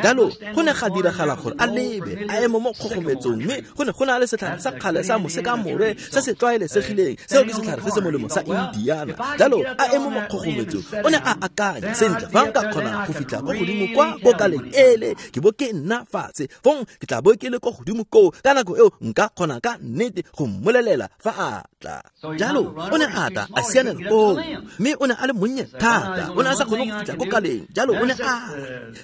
Jalo go ne ga diragala gore a lebe a eme mo kgogometsong, mme go ne go na le setlhare sa kgale sa mosekamore se se tlwaelesegileng, seo ke setlhare se se molemo sa Indiana. Jalo a eme mo kgogometsong, o ne a akanya, sentle, fa nka kgona go fitlha ko godimo kwa ko kaleng ele, ke bo ke nna fatshe, fong ke tla bo ke le ko godimo koo, ka nako eo nka kgona ka nnete go mmolelela fa a tla. Jalo o ne a tla a sianela koo, mme o ne a le monnye thata, o ne a sa kgone go fitlha ko kaleng. Jalo o ne a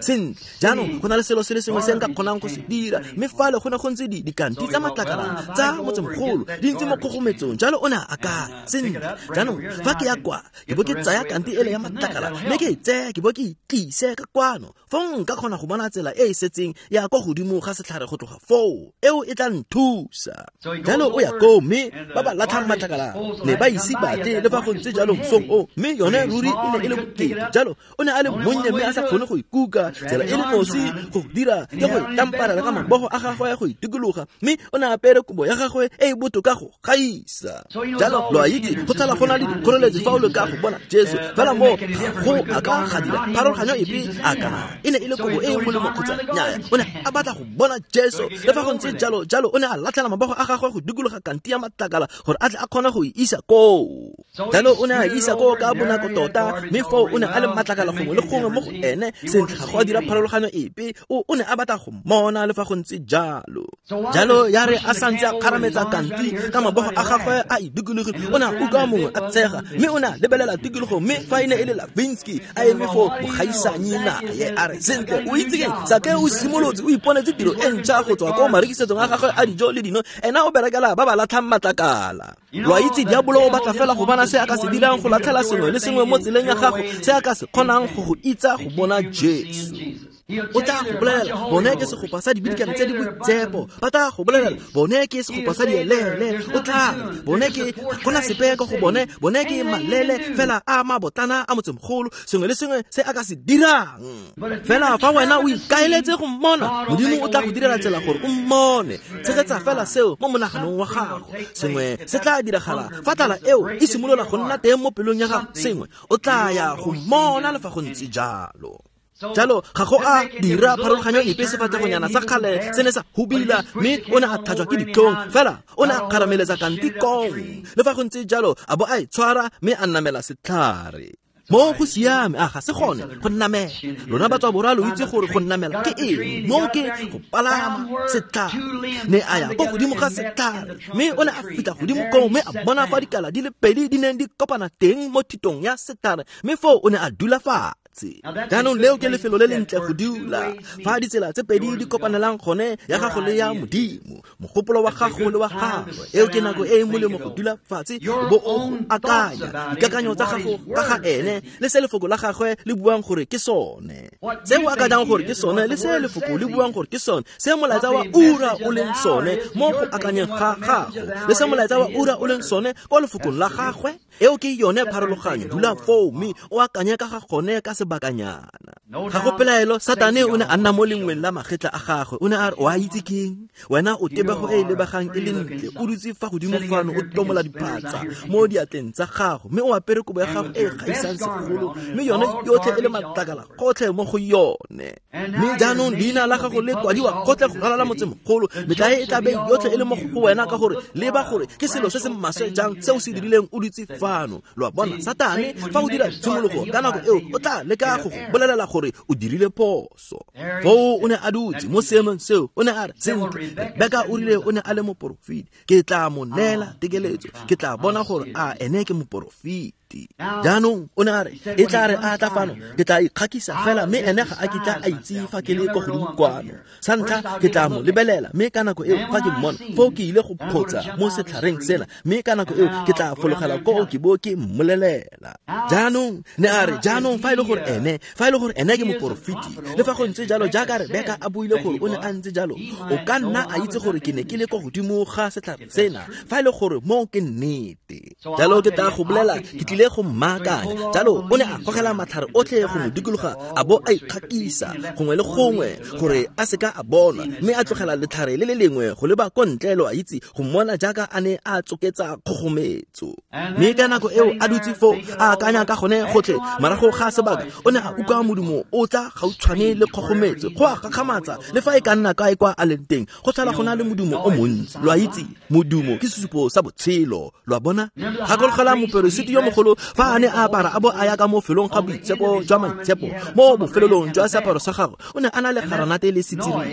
sentle, jaanong go na le selo se le sengwe se nka kgonang go se dira, mme fale go ne go ntse dikanti tsa matlakala tsa motsemogolo di ntse mo kgogometsong. Jalo o ne a akanya, sentle, jaanong fa ke ya kwa ke bo ke tsaya kanti ele ya matlakala, mme ke e tseye ke bo ke itlise ka kwano, fong nka kgona go bona tsela e e setseng ya kwa godimo ga setlhare go tloga foo, eo e tla nthusa. Jalo o ya koo, mme ba ba latlhang matlakala ne ba ise batle le fa go ntse jalo mosong o, mme yone ruri e ne e le bokete. Jalo o ne a le monnye mme a sa kgone go ikuka, tsela e le nosi go dira ke go itamparela ka mabogo a gagwe go itikologa, mme o ne a apere kobo ya gagwe e e botoka go gaisa. Jalo lo a itse, go tlhola go na le dikgoreletsi fa o leka go bona Jesu, fela mo go a ka ga dira pharologanyo epe a kana e ne e le kobo e e molemo kgotsa nnyaya, o ne a batla go bona Jesu. Le fa go ntse jalo, jalo o ne a latlhela mabogo a gagwe go dikologa kanti ya matlakala gore a tle a kgone go e isa koo. Jalo o ne a isa koo ka bonako tota, mme foo o ne a le matlakala gongwe le gongwe mo go ene. Sentle, ga go a dira pharologanyo epe, o ne a batla go mmona le fa go ntse jalo. Jalo ya re a santse a kgarametsa kanti ka mabogo a gagwe a e dikologile, o ne a utlwa mongwe a tshega, mme o ne a lebelela tikologo, mme fa e ne e le Lavinsky a eme foo mogaisanyi naye, a re, sentle, o itse keng, Sake o simolotse o iponetse tiro e ntšha go tswa ko marekisetsong a gagwe a dijo le dino, ena o berekela ba ba latlhang matlakala. Lo a itse, diabolo o batla fela go bona se a ka se dirang go latlhela sengwe le sengwe mo tseleng ya gago, se a ka se kgonang go go itsa go bona Jesu. O tla go bolelela, bone ke segopa sa dibidikane tse di boitsepo. Ba tla go bolelela, bone ke segopa sa dielele. O tla re, bone ke ga gona sepe ko go bone, bone ke malele fela a mabotlana a motsemogolo, sengwe le sengwe se a ka se dirang. Fela fa wena o ikaeletse go mmona, Modimo o tla go direla tsela gore o mmone. Tshegetsa fela seo mo monaganong wa gago. Sengwe se tla diragala fa tlala eo e simolola go nna teng mo pelong ya gago, sengwe o tla ya go mmona le fa go ntse jalo. Jalo ga go a dira pharologanyo epe, sefatlhegonyana sa kgale se ne sa hubila, mme o ne a tlhajwa ke ditlhong, fela o ne a kgarameletsa kanti kong. Le fa go ntse jalo, a bo a e tshwara mme a namela setlhare. Mo go siame, a ga se gone go namela. Lona batswa borwa lo itse gore go namela ke eng, mo ke go palama setlhare. Ne a ya ko godimo ga setlhare, mme o ne a fitlha godimo koo, mme a bona fa dikala di le pedi di neng di kopana teng mo thitong ya setlhare, mme foo o ne a dula fatshe. fatshe. Jaanong leo ke lefelo le lentle go dula fa ditsela tse pedi di kopanelang gone, ya gago le ya Modimo, mogopolo wa gago le wa gagwe. Eo ke nako e e molemo go dula fatshe bo o akanya dikakanyo tsa gago ka ga ene le se lefoko la gagwe le buang gore ke sone, se o akanyang gore ke sone le se lefoko le buang gore ke sone, se molaetsa wa ura o leng sone mo go akanyeng ga gago le se molaetsa wa ura o leng sone kwa lefokong la gagwe. Eo ke yone pharologanyo. Dula foo mme o akanye ka ga gone ka sebakanyana. Ga go pelaelo, Satane o ne a nna mo lengweng la magetla a gagwe. O ne a re, o a itse keng wena, o tebego e e lebegang e le ntle, o dutse fa godimo fano o tomola diphatsa mo diatleng tsa gago, mme o apere kobo ya gago e e gaisang segolo, mme yone yotlhe e le matlakala gotlhe mo go yone. Mme jaanong leina la gago le kwadiwa gotlhe go ralala motsemogolo, metlae e tla be yotlhe e le mo go wena, ka gore leba gore ke selo se se maswe jang se o se dirileng o dutse fano. Lo a bona, Satane fa o dira tshimologo ka nako eo o tla leka go go bolelela gore o dirile phoso. Foo o ne a dutse mo seemong seo, o ne a re, sentle, Rebeka o rile o ne a le moporofeti, ke tla mo neela tekeletso, ke tla bona gore a ene ke moporofeti. Jaanong o ne a re, e tla re a tla fano, ke tla ikgakisa fela, mme ene ga a kitla a itse fa ke le ko godimo kwano. Sa ntlha ke tla mo lebelela, mme ka nako eo fa ke mmona foo ke ile go photsa mo setlhareng sena, mme ka nako eo ke tla fologela koo ke bo ke mmolelela. Jaanong ne a re, jaanong fa e le gore ene, fa e le gore ene ke moporofeti, le fa go ntse jalo jaaka Rebeka a buile gore o ne a ntse jalo, o ka nna a itse gore ke ne ke le ko godimo ga setlhare sena, fa e le gore mo ke nnete. Jalo ke tla go bolela, ke tlile go mmaakanya. Jalo o ne a gogela matlhare otlhe go mo dikologa, a bo a ikgakisa gongwe le gongwe gore a seka a bonwa, mme a tlogela letlhare le le lengwe go leba ko ntle, lo a itse, go mmona jaaka a ne a tsoketsa kgogometso. Mme ka nako eo a dutse foo a akanya ka gone gotlhe, morago ga sebaka o ne a utlwa modumo o tla gautshwane le kgogometso. Go a gakgamatsa, le fa e ka nna kae kwa a leng teng, go tlhola go na le modumo o montsi. Lo a itse, modumo ke sesupo sa botshelo. Lo a bona? Gakologelwa moperesiti yo mogolo fa a ne a apara a bo a ya ka mo felong ga boitshepo jwa maitshepo, mo bofelelong jwa seaparo sa gagwe o ne a na le garanate le setsirima,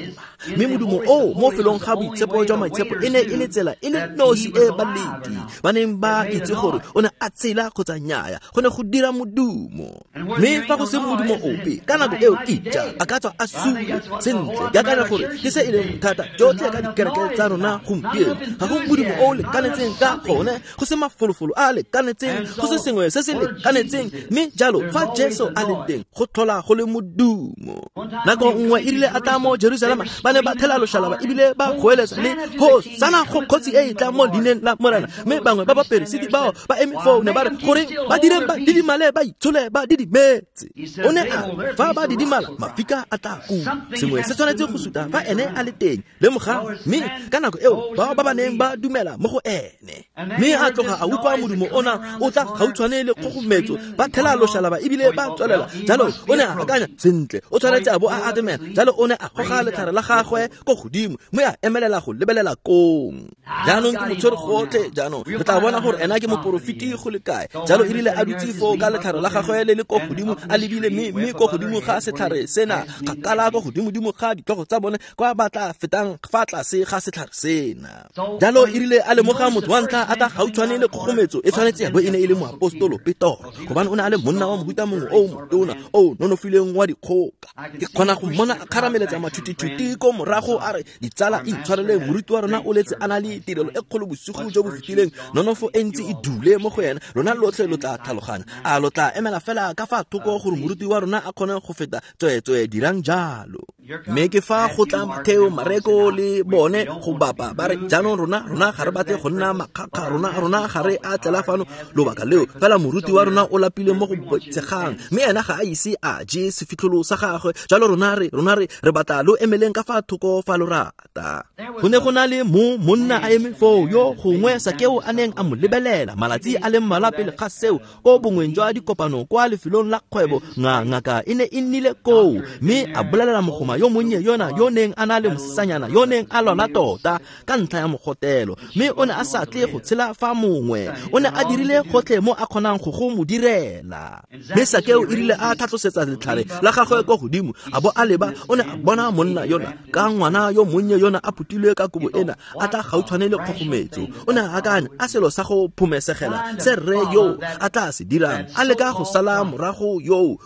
mme modumo o mo felong ga boitshepo jwa maitshepo e ne e le tsela e le nosi e baleti ba neng ba itse gore o ne a tshela kgotsa nnyaya, go ne go dira modumo. Mme fa go se modumo ope ka nako eo, ija a ka tswa a sule. Sentle, ke akanya gore ke se e leng bothata jotlhe ka dikereke tsa rona gompieno. Ga go modumo o o lekanetseng ka gone, go se mafolofolo a lekanetseng, go se sengwe se se lekanetseng. Mme jalo fa Jesu a le teng, go tlhola go le modumo. Nako nngwe e rile a tla mo Jerusalema, ba ne ba thela loshalaba ebile ba goeletsa le Hosana go kgotsi e e tlang mo leineng la Morena. Mme bangwe ba baperesiti bao ba eme foo ne ba re, goreng ba direng ba didimale, ba itshole ba didimetse. O ne a re, fa ba didimala mafika a tla kua. Sengwe se tshwanetse go suta fa ene a le teng. Lemoga, mme ka nako eo bao ba ba neng ba dumela mo go ene, mme a tloga a utlwa modumo ona o tla gautshwane le kgogometso, ba thela loshalaba ebile ba tswelela. Jalo o ne a akanya, sentle, o tshwanetse a bo a atamela. Jalo o ne a goga letlhare la gagwe ko godimo, mme a emelela go lebelela kong. Jaanong ke motshwere gotlhe, jaanong re tla bona gore ena ke moporofeti go le kae. Jalo e rile a dutse foo ka letlhare la gagwe le le ko godimo, a lebile mme ko godimo ga setlhare sena, kgakala ko godimodimo ga ditlhogo tsa bone, kwa ba tla fetang fa tlase ga setlhare sena. Jalo e rile a lemoga motho wa ntlha a tla gautshwane le kgogometso, e tshwanetse ya bo e ne e le moapostolo Petoro, gobane o ne a le monna wa mohuta mongwe o motona o nonofileng wa dikgoka. Ke kgona go mmona a kgarameletsa matšhutitšhuti ko morago a re, ditsala intshwareleng, moruti wa rona o letse a na le tirelo e kgolo bosigo jo bo fetileng, nonofo e ntsi e dule mo go ena, lona lotlhe lo tla tlhaloganya. A lo tla emela fela ka fa thoko gore moruti wa rona a kgone go feta? Tsweetswe dirang jalo. Mme ke fa go tla Matheo, Mareko le bone go bapa, ba re, jaanong rona ga re batle go nna makgakga, rona ga re a tlela fano lobaka leo, fela moruti wa rona o lapile mo go boitshegang, mme ena ga a ise a je sefitlholo sa gagwe. Jalo rona re batla lo emeleng ka fa thoko fa lo rata. Go ne go na le mo monna a eme foo yo gongwe Sakeo a neng a mo lebelela malatsi a le mmalwa pele ga seo, ko bongweng jwa dikopano kwa lefelong la kgwebo. Ngaka e ne e nnile koo, mme a bolelela mogoma Mma yo monnye yona yo neng a na le mosetsanyana yo neng a lwala tota ka ntlha ya mogotelo, mme o ne a sa tle go tshela fa mongwe. O ne a dirile gotlhe mo a kgonang go mo direla. Mme Sakeo e rile a tlhatlosetsa letlhare la gagwe kwa godimo, a bo a leba, o ne a bona monna yona ka ngwana yo monnye yona a phutilwe ka kobo ena, a tla gautshwane le kgogometso. O ne a akanya a selo sa go phomesegela se rre yo a tla se dirang, a leka go sala morago yo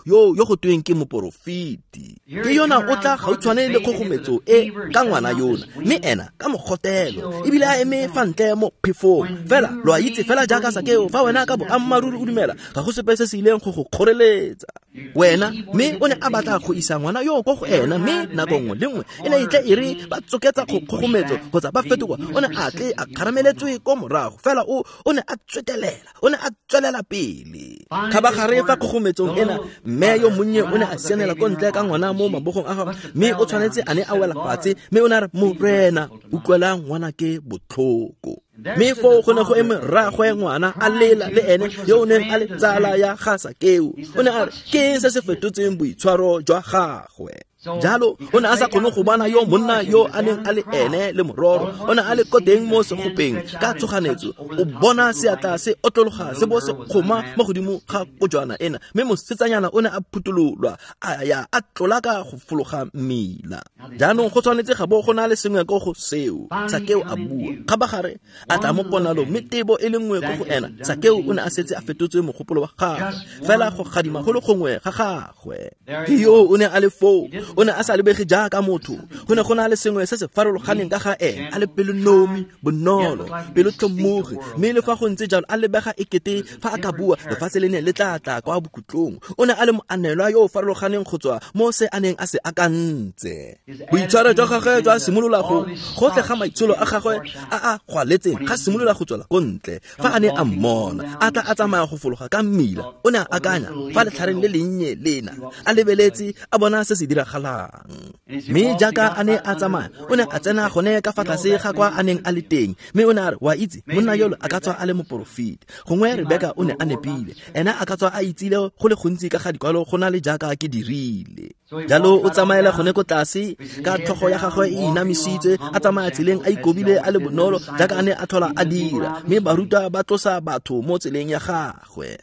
go tweng ke moporofeti. Ke yona o tla gautshwane le kgogometso e ka ngwana yona, mme ena ka mogotelo, ebile a eme fa ntle mo phefong. Fela lo a itse fela jaaka Sakeo, fa wena ka boammaaruri o dumela, ga go sepe se se ileng go go kgoreletsa wena. Mme o ne a batla go isa ngwana yo ko go ena, mme nako nngwe le nngwe e ne e tle e re ba tsoketsa kgogometso kgotsa ba fetoga, o ne a tle a kgarameletswe ko morago. Fela o ne a tswetelela, o ne a tswelela pele. Kgabagare fa kgogometsong ena, mme yo monnye o ne a sianela ko ntle ka ngwana mo mabogong a gagwe, mme o tshwanetse a ne a wela fatshe, mme o ne a re, Morena, utlwela ngwana ke botlhoko. Mme foo go ne go eme rraagwe ngwana a lela le ene yo o neng a le tsala ya ga Sakeo. O ne a re, ke eng se se fetotseng boitshwaro jwa gagwe? Jalo o ne a sa kgone go bona yo monna yo a neng a le ene le mororo. O ne a le ko teng mo segopeng ka tshoganetso, o bona seatla se otlologa se bo se kgoma mo godimo ga kojwana ena, mme mosetsanyana o ne a phutololwa a ya a tlola ka go fologa mmila. Jaanong go tshwanetse ga bo go na le sengwe ko go seo. Sakeo a bua. Kgabagare a tla mo ponalong, mme tebo e le nngwe ko go ena. Sakeo o ne a setse a fetotswe mogopolo wa gagwe, fela go gadima go le gongwe ga gagwe. Ke yo o ne a le foo, o ne a sa lebege jaaka motho. Go ne go na le sengwe se se farologaneng ka ga ene, a le pelonomi, bonolo, pelotlhomogi, mme le fa go ntse jalo a lebega ekete fa a ka bua lefatshe le ne le tla tla kwa bokhutlong. O ne a le moanelwa yo o farologaneng go tswa mo se a neng a se akantse. Boitshwaro jwa gagwe jwa simolola go gotlhe ga maitsholo a gagwe a a gwaletseng ga simolola go tswela ko ntle. Fa a ne a mmona a tla a tsamaya go fologa ka mmila, o ne a akanya fa letlhareng le lennye lena, a lebeletse a bona se se diragalang. Mme jaaka a ne a tsamaya, o ne a tsena gone ka fa tlase ga kwa a neng a le teng, mme o ne a re, wa itse, monna yolo a ka tswa a le moporofeti. Gongwe Rebeka o ne a nepile, ena a ka tswa a itsile go le gontsi ka ga dikwalo go na le jaaka ke dirile. Jalo o tsamaela gone ko tlase ka tlhogo ya gagwe e inamisitswe, a tsamaya tseleng a ikobile a le bonolo jaaka a ne a tlhola a dira, mme barutwa ba tlosa batho mo tseleng ya gagwe.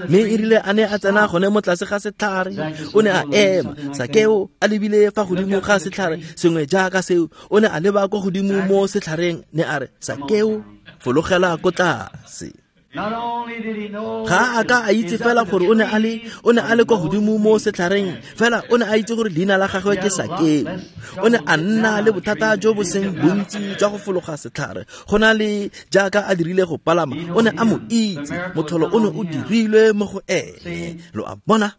Mme e rile a ne a tsena gone mo tlase ga setlhare, o ne a ema. Sakeo a lebile fa godimo ga setlhare sengwe jaaka seo, o ne a leba ko godimo mo setlhareng, ne a re, Sakeo, fologela ko tlase. Ga a ka a itse fela gore o ne a le kwa godimo mo setlhareng, fela o ne a itse gore leina la gagwe ke Sakeo. O ne a nna le bothata jo bo seng bontsi jwa go fologa setlhare go na le jaaka a dirile go palama. O ne a mo itse, motlholo o ne o dirilwe mo go ene. Lo a bona?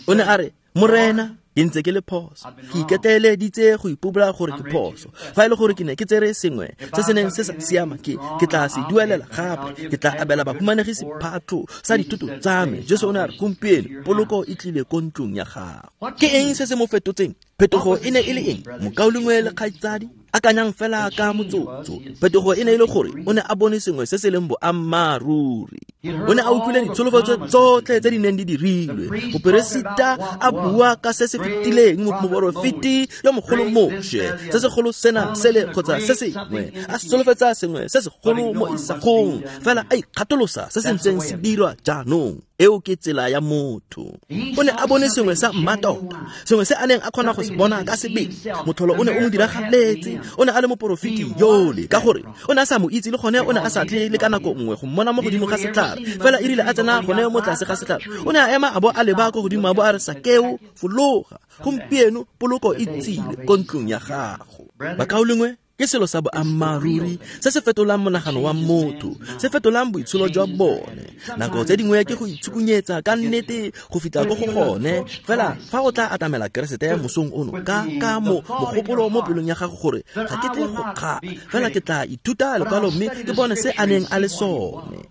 O ne a re, Morena, ke ntse ke le phoso, ke iketeleditse go ipobola gore ke phoso. Fa e le gore ke ne ke tsere sengwe se se neng se sa siama, ke tla se duelela gape, ke tla abela bahumanegi sephatlo sa dithoto tsa me. Jesu o ne a re, gompieno poloko e tlile ko ntlong ya gago. Ke eng se se mo fetotseng? Phetogo e ne e le eng? Mokaulengwe le kgaitsadi, akanyang fela ka motsotso. Phetogo e ne e le gore o ne a bone sengwe se se leng boammaaruri. O ne a utlwile ditsholofetso tsotlhe tse di neng di dirilwe. Moperesita a bua ka se se fetileng, moporofeti yo mogolo Moshe, se segolo sena sele kgotsa se sengwe, a solofetsa sengwe se segolo mo isagong, fela a ikgatolosa se se ntseng se dirwa jaanong. Eo ke tsela ya motho. O ne a bone sengwe sa mmatota, sengwe se a neng a kgona go se bona ka sebele. Motlholo o ne o mo diragaletse. O ne a le moporofeti yole, ka gore o ne a sa mo itse, le gone o ne a sa tle le ka nako nngwe go mmona mo godimo ga setlhare. Fela e rile a tsena gone mo tlase ga setlhare, o ne a ema a bo a leba ko godimo, a bo a re, Sakeo, fologa, gompieno poloko e tsile ko ntlong ya gago. Bakaulengwe, ke selo sa boammaaruri se se fetolang monagano wa motho, se fetolang boitsholo jwa bone. Nako tse dingwe ke go itshukunyetsa ka nnete go fitlha ko go gone. Fela fa o tla atamela Keresete mosong ono ka mo mogopolo mo pelong ya gago gore ga ke tle go kgala, fela ke tla ithuta lekwalo mme ke bone se a neng a le sone.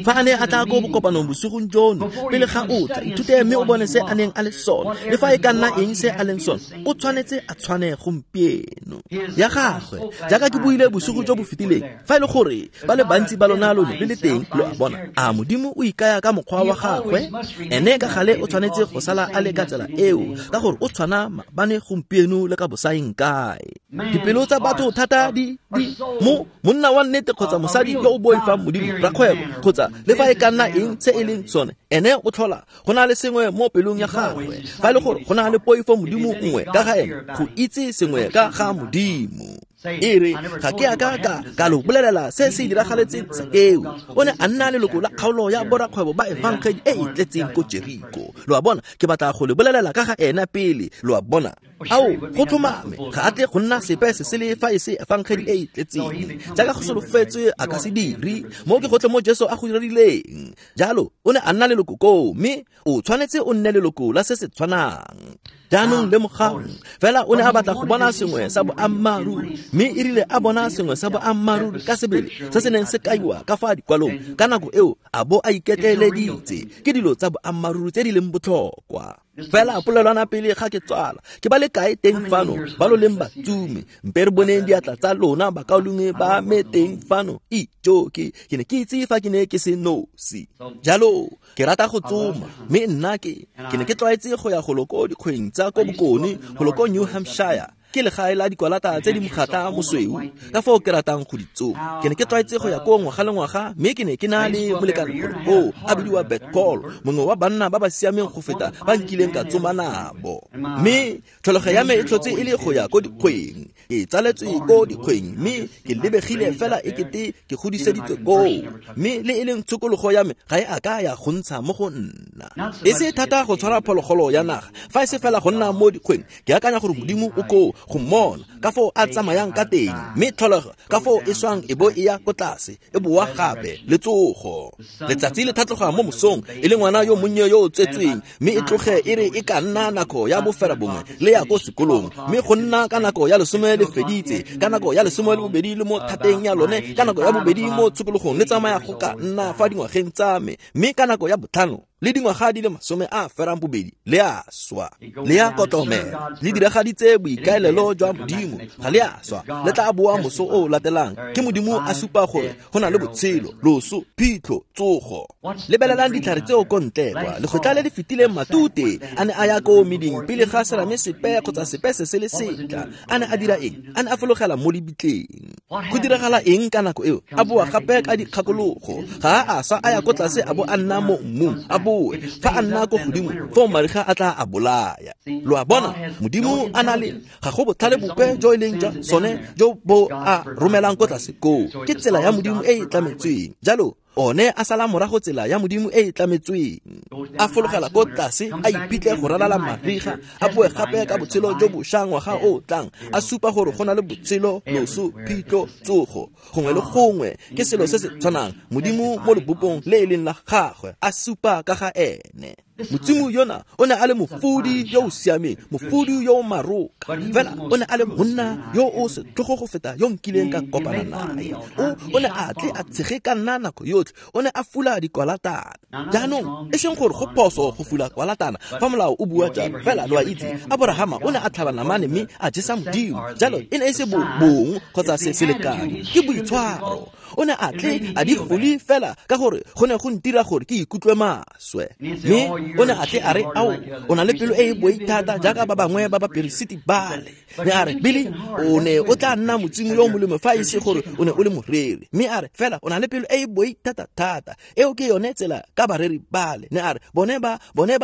Fa a ne a tla ko bokopanong bosigong jono, pele ga o tla, ithute mme o bone se a neng a le sone, le fa e ka nna eng se a leng sone, o tshwanetse a tshwane gompieno. Ya gagwe, jaaka ke buile bosigo jo bo fetileng, fa e le gore ba le bantsi ba lona lo ne le le teng, lo a bona, a Modimo o ikaya ka mokgwa wa gagwe, ene ka gale o tshwanetse go sala a le ka tsela eo, ka gore o tshwana maabane gompieno le ka bosaeng kae. Dipelo tsa batho thata di mo monna wa nnete kgotsa mosadi yo o boifang Modimo, rakgwebo kgotsa le fa e ka nna eng se e leng sone, ene o tlhola go na le sengwe mo pelong ya gagwe. Fa e le gore go na le poifo Modimo nngwe ka ga ene, go itse sengwe ka ga Modimo. E re ga ke a ka lo bolelela se se diragaletseng Sakeo. O ne a nna leloko la kgaolo ya borakgwebo ba efangedi e e tletseng ko Jeriko. Lo a bona, ke batla go le bolelela ka ga ena pele, lo a bona. Ao, go tlhomame, ga a tle go nna sepe se se le fa e se efangedi e e tletseng. Jaaka go solofetswe a ka se dire, mo ke gotlhe mo Jesu a go dirileng. Jalo, o ne a nna leloko koo, mme o tshwanetse o nne leloko la se se tshwanang. Jaanong lemogang, fela o ne a batla go bona sengwe sa boammaaruri, mme e rile a bona sengwe sa boammaaruri ka sebele se se neng se kaiwa ka fa dikwalong ka nako eo, a bo a iketleeleditse ke dilo tsa boammaaruri tse di leng botlhokwa. Fela polelwana pele ga ke tswala, ke ba le kae teng fano ba lo leng batsume? Mpe re boneng diatla tsa lona bakaulengwe ba me teng fano. Ijo, ke ne ke itse fa ke ne ke se nosi. Jalo ke rata go tsoma, mme nna ke ne ke tlwaetse go ya go lo ko dikgweng tsa ko bokone, go lo ko New Hampshire. Ke legae la dikwalata tse di mokgatla mosweu, ka foo ke ratang go di tsoma. Ke ne ke tlwaetse go ya ko ngwaga le ngwaga, mme ke ne ke na le molekane gore koo a bidiwa Bert Paul, mongwe wa banna ba ba siameng go feta ba nkileng ka tsoma nabo. Mme tlholego ya me e tlhotse e le go ya ko dikgweng. Ke tsaletswe ko dikgweng, mme ke lebegile fela e kete ke godiseditswe koo, mme le e leng tshokologo ya me ga e a ka ya go ntsha mo go nna. E se thata go tshwara phologolo ya naga, fa e se fela go nna mo dikgweng. Ke akanya gore Modimo o koo go mmona ka foo a tsamayang ka teng, mme tlholego ka foo e swang e bo e ya ko tlase, e boa gape le tsogo. Letsatsi le tlhatloga mo mosong e le ngwana yo monnye yo o tsetsweng, mme e tloge e re e ka nna nako ya bofera bongwe le ya ko sekolong, mme go nna ka nako ya 12, ka nako ya 12 le mo thateng ya lone, ka nako ya 2 mo tshokologong le tsamaya go ka nna fa dingwageng tsa me, mme ka nako ya 5 le dingwaga di le 28 le a swa, le ya kotlomela, le diragaditse boikaelelo jwa Modimo, ga le a swa, le tla boa moso o latelang. Ke Modimo a supa gore go na le botshelo, loso, phitlho, tsogo. Lebelelang ditlhare tseo ko ntle kwa lekgotla le le fetileng, matute a ne a ya ko meding pele ga serame sepe kgotsa sepe se se le setla. A ne a dira eng? A ne a fologela mo lebitleng. Go diragala eng ka nako eo? A boa gape ka dikgakologo. Ga a sa a ya ko tlase a bo a nna mo mmung, a boe fa a nna ko godimo, foo mariga a tla a bolaya. Lo a bona, Modimo a na le ga go botlhale bope jo e leng jwa sone jo bo a romelang ko tlase koo. Ke tsela ya Modimo e e tlametsweng. Jalo one a sala morago tsela ya Modimo e e tlametsweng, a fologela ko tlase, a iphitlhe go ralala mariga, a boe gape ka botshelo jo bošwa ngwaga o tlang, a supa gore go na le botshelo, loso, phitlho, tsogo. Gongwe le gongwe ke selo se se tshwanang, Modimo mo lebopong le e leng la gagwe a supa ka ga ene. Motsimo yona o ne a le mofudi yo o siameng, mofudi yo o maroka, fela o ne a le monna yo o setlhogo go feta yo nkileng ka kopana nae. O ne a tle a tshege ka nna nako yotlhe, o ne a fula dikwalatana. Jaanong e seng gore go phoso go fula kwalatana fa molao o bua jalo, fela lo a itse, Aborahama o ne a tlhaba namane mme a jesa Modimo. Jalo e ne e se bong kgotsa se selekanyo, ke boitshwaro. O ne a tle a di fule fela ka gore go ne go ntira gore ke ikutlwe maswe. Mme o ne a tle a re, ao, o na le pelo e e boi thata jaaka ba bangwe ba baperesiti bale. Mme a re, Billy, o ne o tla nna motsimo yo molemo fa e se gore o ne o le moreri. Mme a re, fela o na le pelo e e boi thata thata. Eo ke yone tsela ka bareri bale. Ne a re, bone ba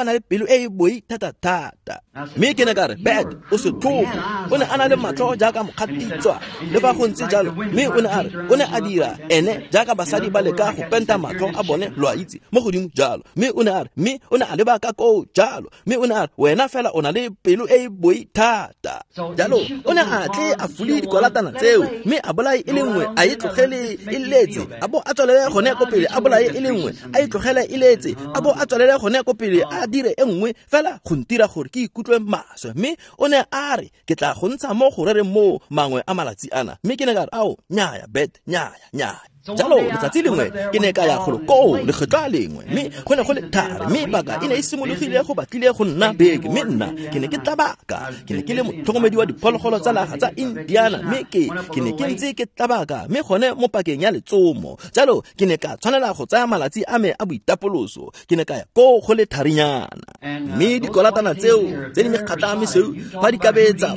na le pelo e e boi thata thata. Mme ke ne ka re, Bert, o setlhogo. O ne a na le matlho jaaka mokgatitswa, le fa go ntse jalo. Mme o ne a re, o ne a dira ene jaaka basadi ba leka go penta matlho a bone, lo a itse, mo godimo jalo. Mme o ne a re, mme o ne a leba ka koo jalo. Mme o ne a re, wena fela o na le pelo e e boi thata. Jalo o ne a tle a fule dikwalatana tseo, mme a bolae e le nngwe, a e tlogele e letse, a bo a tswelele gone ko pele, a bolae e le nngwe, a e tlogele e letse, a bo a tswelele gone ko pele, a dire e nngwe, fela go ntira gore ke ikutlwe maswe. Mme o ne a re, ke tla go ntsha mo go rereng mo mangwe a malatsi ana. Mme ke ne ka re, ao, nnyaya, Bet, nnyaya, nnyaya. Jalo letsatsi lengwe ke ne ka ya golo koo lekgetlo a lengwe, mme go ne go le thari, mme paka e ne e simologile go batlile go nna beke, mme nna ke ne ke tlabaka. Ke ne ke le motlhokomedi wa diphologolo tsa naga tsa Indiana, mme ke ne ke ntse ke tlabaka, mme gone mo pakeng ya letsomo. Jalo ke ne ka tshwanela go tsaya malatsi a me a boitapoloso. Ke ne ka ya koo go le tharinyana, mme dikolatana tseo tse di mekgatla mesweu fa di ka betsa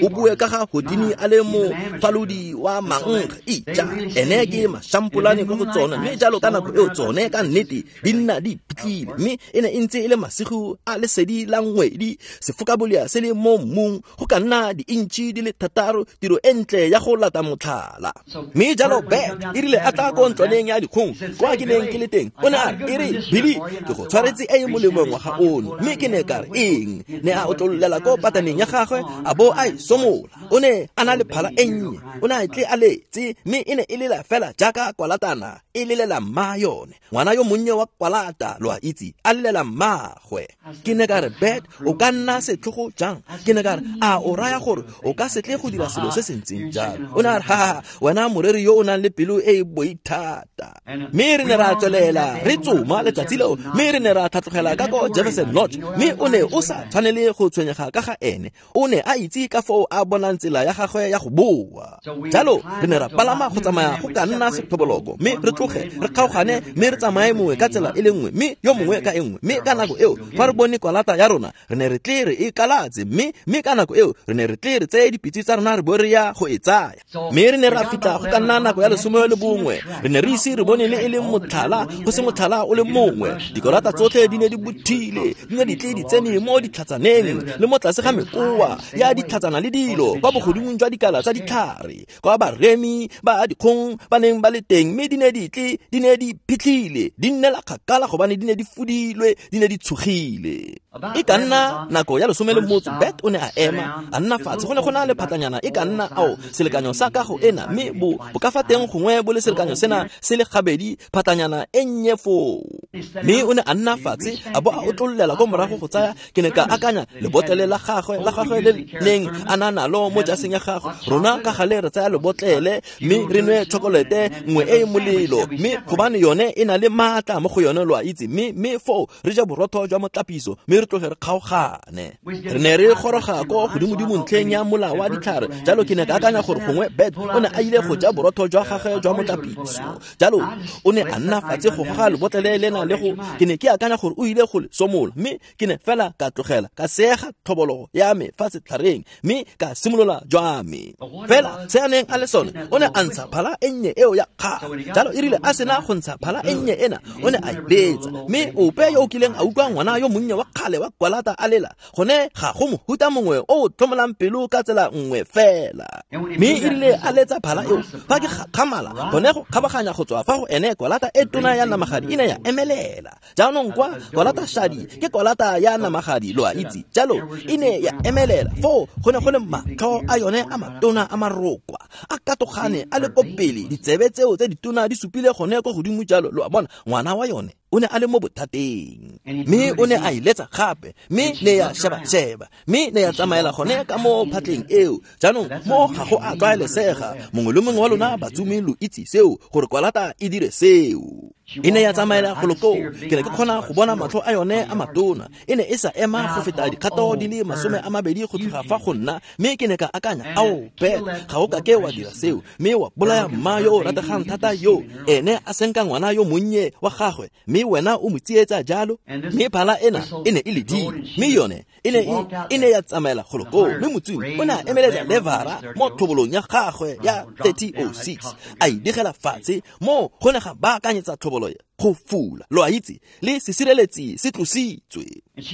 o bue ka ga Houdini a le mofalodi wa mankge, ija ene ke mashampolane ko go tsone, mme jalo ka nako eo tsone ka nnete di nna di iphitlhile. Mme e ne e ntse e le masigo a lesedi la ngwedi, sefokabolea se le mo mmung go ka nna di-intšhi di le 6, tiro e ntle ya go lata motlhala. Mme jalo Bert e rile a tla ko ntlwaneng ya dikgong kwa ke neng ke le teng, o ne a re, e re Billy, ke go tshwaretse e e molemo ngwaga ono. Mme ke ne ka re, eng? Ne a otlololela ko pataneng ya gagwe a bo a e somola. O ne a na le phala e nnye, o ne a tle a letse, mme e ne e lela fela jaaka kwalatana e lelela mma yone, ngwana yo monnye wa kwalata, lo a itse, a lelela mmagwe. Ke ne ka re, Bert, o ka nna setlhogo jang? Ke ne ka re, a o raya gore o ka se tle go dira selo se se ntseng jalo? O ne a re, ha, wena moreri yo o nang le pelo e e boithata. Mme re ne ra tswelela re tsoma letsatsi leo, mme re ne ra tlhatlogela ka ko Jefferson Lodge, mme o ne o sa tshwanele go tshwenyega ka ga ene. O ne a itse ka foo a bonang tsela ya gagwe ya go boa. Jalo re ne ra palama go tsamaya go ka nna sethoboloko, mme re tloge re kgaogane, mme re tsamaye mongwe ka tsela e le nngwe, mme yo mongwe ka e nngwe. Mme ka nako eo fa re bone kwalata ya rona, re ne re tle re e kalatse, mme ka nako eo re ne re tle re tseye dipitse tsa rona re bo re ya go e tsaya. Mme re ne ra fitlha go ka nna nako ya 11, re ne re ise re bone le e leng motlhala, go se motlhala o le mongwe. Dikolata tsotlhe di ne di bothile, di ne di tle di tsene mo ditlhatsaneng le mo tlase ga mekoa ya ditlhatsana le dilo kwa bogodimong jwa dikala tsa ditlhare, kwa baremi ba dikgong ba neng ba le teng, mme di ne di tle di ne di phitlhile, di nnela kgakala gobane di ne di fudilwe, di ne di tshogile. E ka nna nako ya 11, Bert o ne a ema a nna fatshe. Go ne go na le phatlanyana e ka nna ao selekanyo sa kago ena, mme bo ka fa teng gongwe bo le selekanyo sena se le gabedi, phatlanyana e nnye foo. Mme o ne a nna fatshe a bo a otlololela ko morago go tsaya, ke ne ka akanya lebotlele la gagwe le neng a na nalo mo jaseng ya gagwe. Rona ka gale re tsaya lebotlele mme re nwe chokolete nngwe e e molelo, mme gobane yone e na le maatla mo go yone, lo a itse, mme foo re ja borotho jwa motlapiso, mme re tloge re kgaogane. Re ne re goroga ko godimodimo ntlheng ya mola wa ditlhare. Jalo ke ne ka akanya gore gongwe Bert o ne a ile go ja borotho jwa gagwe jwa motlapiso. Jalo o ne a nna fatshe go goga lebotlele lena le go, ke ne ke akanya gore o ile go le somola, mme ke ne fela ka tlogela ka seega tlhobologo ya me fa setlhareng, mme ka simolola jwa me. Fela se a neng a le sone, o ne a ntsha phala e nnye eo ya kgale. Jalo e rile a sena go ntsha phala e nnye ena, o ne a e letsa, mme ope yo o kileng a utlwa ngwana yo monnye wa kgale wa kwalata a lela, gone ga go mohuta mongwe o o tlhomolang pelo ka tsela nngwe fela. Mme e rile a letsa phala eo, fa ke gakgamala gone go kgabaganya go tswa fa go ene, kwalata e tona ya namagadi e ne ya emelela. Jaanong kwa kwalata shadi ke kwalata ya namagadi, lo a itse. Jalo e ne ya emelela, foo go ne go le matlho a yone a matona a marokwa a katogane a le ko pele, ditsebe tseo tse ditona di supile gone ko godimo. Jalo lo a bona, ngwana wa yone o ne a le mo bothateng. Mme o ne a e letsa gape, mme ne ya sheba-sheba, mme ne ya tsamaela gone ka mo phatleng eo. Jaanong mo ga go a tlwaelesega, mongwe le mongwe wa lona batsomi lo itse seo, gore kwalata e dire seo. E ne ya tsamaela golo koo, ke ne ke kgona go bona matlho a yone a matona. E ne e sa ema go feta dikgato di le 20 go tloga fa go nna, mme ke ne ka akanya, ao Bert, ga o kake wa dira seo, mme wa bolaya mma yo o rategang thata yo, ene a senka ngwana yo monnye wa gagwe, mme wena o mo tsietsa jalo. Mme phala ena e ne e ledile, mme yone e ne ya tsamaela golo koo, mme motsomi o ne a emeletsa levara mo tlhobolong ya gagwe ya 3006, a e digela fatshe, mo go ne ga baakanyetsa tlhobolo go fula, lo a itse, le sesireletsi se tlositswe.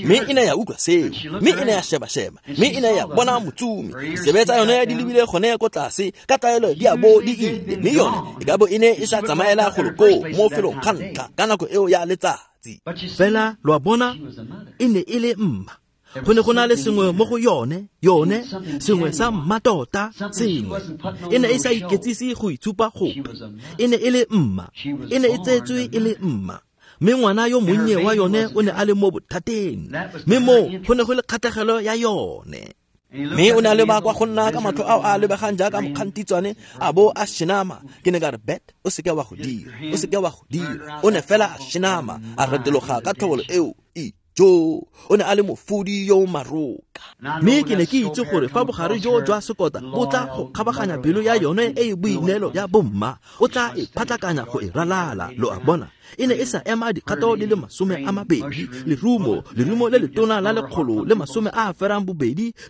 Mme e ne ya utlwa seo, mme e ne ya sheba-sheba, mme e ne ya bona motsomi, ditsebe tsa yone di lebile gone ko tlase ka tlwaelo di a bo di ile, mme yone e ka bo e ne e sa tsamaela golo koo mo felong ga ntlha ka nako eo ya letsatsi. Fela lo a bona, e ne e le mma. Go ne go na le sengwe mo go yone, sengwe sa mmatota, sengwe. E ne e sa iketsise go itshupa gope. E ne e le mma, e ne e tsetswe e le mma. Mme ngwana yo monnye wa yone o ne a le mo bothateng, mme moo go ne go le kgatlhegelo ya yone. Mme o ne a leba kwa go nna ka matlho ao a lebegang jaaka mokgantitswane a bo a shenama. Ke ne ka re, Bet, o seke wa go dira, o seke wa go dira. O ne fela a shenama, a retologa ka tlhobolo eo. Jo, o ne a le mofudi yo o maroka. Mme ke ne ke itse gore fa bogare jo jwa sekota bo tla go kgabaganya pelo ya yone e e boineelo ya bomma, o tla e phatlakanya go e ralala. Lo a bona, e ne e sa ema dikgato di le 20, lerumo, lerumo le letona la 182,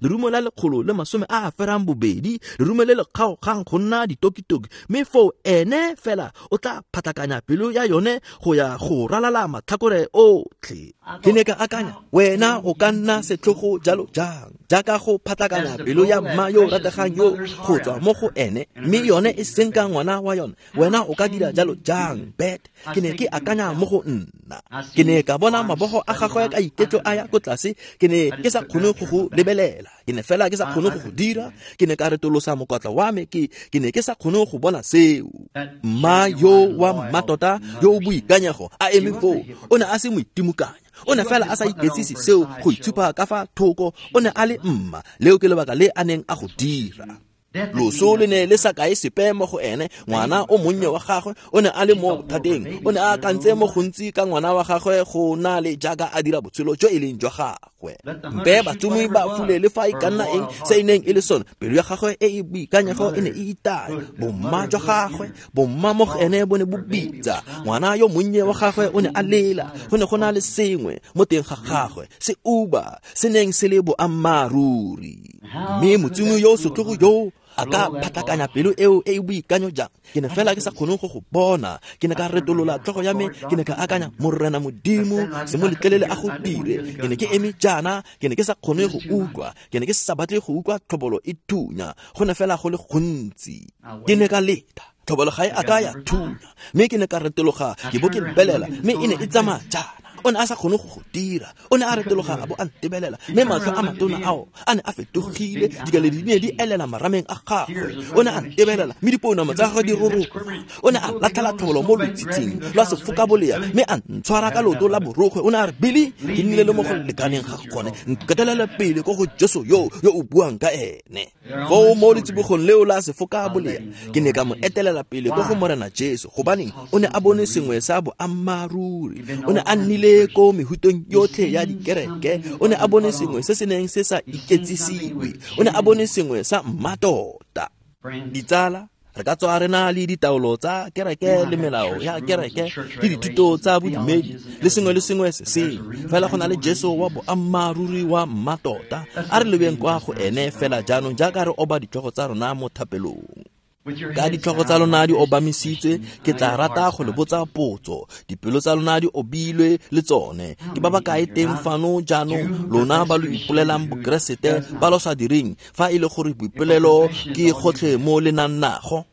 lerumo la 182, lerumo le le kgaogang go nna ditokitoki. Mme foo ene fela o tla phatlakanya pelo ya yone go ya go ralala matlhakore otlhe. Ke ne ka akanya, wena o ka nna setlhogo jalo jang, jaaka go phatlakanya pelo ya mma yo o rategang yo go tswa mo go ene, mme yone e senka ngwana wa yone. Wena o ka dira jalo jang, Bet? Ke ne ke akanya mo go nna. Ke ne ka bona mabogo a gagwe ka iketlo a ya ko tlase. Ke ne ke sa kgone go go lebelela. Ke ne fela ke sa kgone go go dira. Ke ne ka retolosa mokwatla wa me. Ke ne ke sa kgone go bona seo. Mma yo wa mmatota yo o boikanyego a eme foo, o ne a se moitimokanya. O ne fela a sa iketsise seo go itshupa ka fa thoko. O ne a le mma. Leo ke lebaka le a neng a go dira. Loso le ne le sa kae sepe mo go ene. Ngwana o monnye wa gagwe o ne a le mo bothateng. O ne a akantse mo gontsi ka ngwana wa gagwe go na le jaaka a dira botshelo jo e leng jwa gagwe. Mpe batsumi ba fule le fa e ka nna eng se e neng e le sone, pelo ya gagwe e e boikanyego e ne e itaya. Bomma jwa gagwe, bomma mo go ene bo ne bo bitsa. Ngwana yo monnye wa gagwe o ne a lela. Go ne go na le sengwe mo teng ga gagwe se uba se neng se le boammaaruri. Mme motsumi yo setlhogo yo a ka phatlakanya pelo eo e e boikanyo jang? Ke ne fela ke sa kgone go go bona. Ke ne ka retolola tlhogo ya me. Ke ne ka akanya, Morena Modimo, se mo letlelele a go dire. Ke ne ke eme jaana, ke ne ke sa kgone go utlwa. Ke ne ke sa batle go utlwa tlhobolo e thunya. Go ne fela go le gontsi. Ke ne ka leta. Tlhobolo ga e a ka ya thunya. Mme ke ne ka retologa, ke bo ke lebelela, mme e ne e tsamaya jaana. O ne a sa kgone go go dira. O ne a retologa a bo a ntebelela, mme matlho a matona ao a ne a fetogile, dikeledi di ne di elela marameng a gagwe. O ne a ntebelela, mme dipounama tsa gagwe di roroga. O ne a latlhela tlhobolo mo lotshitshing lwa sefokabolea, mme a ntshwara ka leoto la borokgwe. O ne a re, Billy, ke nnile le mo go lekaneng ga gone. Nketelele pele ko go Jesu yo o buang ka ene. Foo mo letsibogong leo la sefokabolea, ke ne ka mo etelela pele ko go Morena Jesu, gobaneng o ne a bone sengwe sa boammaaruri. O ne a nnile ko mehutong yotlhe ya dikereke. O ne a bone sengwe se se neng se sa iketsisiwe. O ne a bone sengwe sa mmatota. Ditsala, re ka tswa re na le ditaolo tsa kereke le melao ya kereke le dithuto tsa bodumedi le sengwe le sengwe se sengwe, fela go na le Jesu wa boammaaruri wa mmatota. A re lebeng kwa go ene fela jaanong jaaka re oba ditlhogo tsa rona mo thapelong. Ka ditlhogo tsa lona di obamisitswe, ke tla rata go le botsa potso. Dipelo tsa lona di obilwe le tsone. Ke ba ba kae teng fano jaanong, lona ba lo ipolelang Bokeresete, ba lo sa direng, fa e le gore boipolelo ke gotlhe mo le nang nago?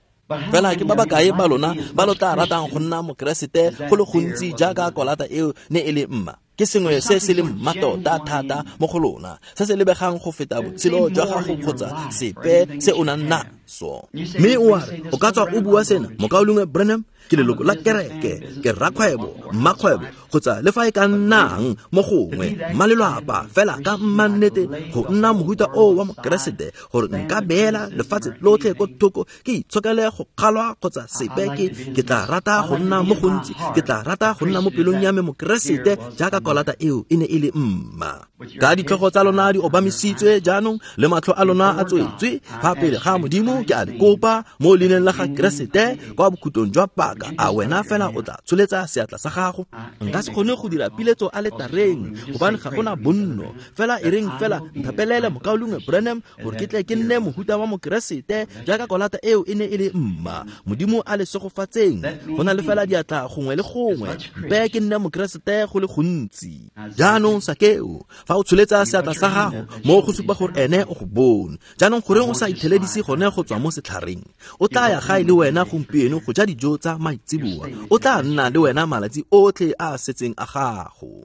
Fela ke ba ba kae ba lona ba lo tla ratang go nna Mokeresete go le gontsi jaaka kolata eo ne e le mma? Ke sengwe se se leng mmatota thata mo go lona, se se lebegang go feta botshelo jwa gago kgotsa sepe se o nang naso. Mme o a re, o ka tswa o bua sena, Mokaulengwe Branham, ke leloko la kereke, ke rakgwebo, mmakgwebo, kgotsa le fa e ka nnang mo gongwe, mmalelwapa, fela ka mmannete go nna mohuta o wa Mokeresete, gore nka beela lefatshe lotlhe ko thoko, ke itshokele go kgalwa kgotsa sepe. Ke tla rata go nna mo gontsi, ke tla rata go nna mo pelong ya me Mokeresete jaaka kolata eo e ne e le mma. Ka ditlhogo tsa lona di obamisitswe jaanong le matlho a lona a tswetswe fa pele ga Modimo, ke a le kopa mo leineng la ga Keresete kwa bokhutlong jwa paka, a wena fela o tla tsholetsa seatla sa gago? Nka se kgone go dira piletso a letareng gobane ga gona bonno. Fela e reng fela nthapelele Mokaulengwe Branham gore ke tle ke nne mohuta wa Mokeresete jaaka kolata eo e ne e le mma. Modimo a le segofatseng. Go na le fela diatla gongwe le gongwe. Mpe ke nne Mokeresete go le gontsi. Jaanong Sakeo, fa o tsholetsa seatla sa gago mo go supa gore ene o go bone. Jaanong goreng o sa itheledise gone go tswa mo setlhareng? O tla ya gae le wena gompieno go ja dijo tsa maitseboa. O tla nna le wena malatsi otlhe a a setseng a gago.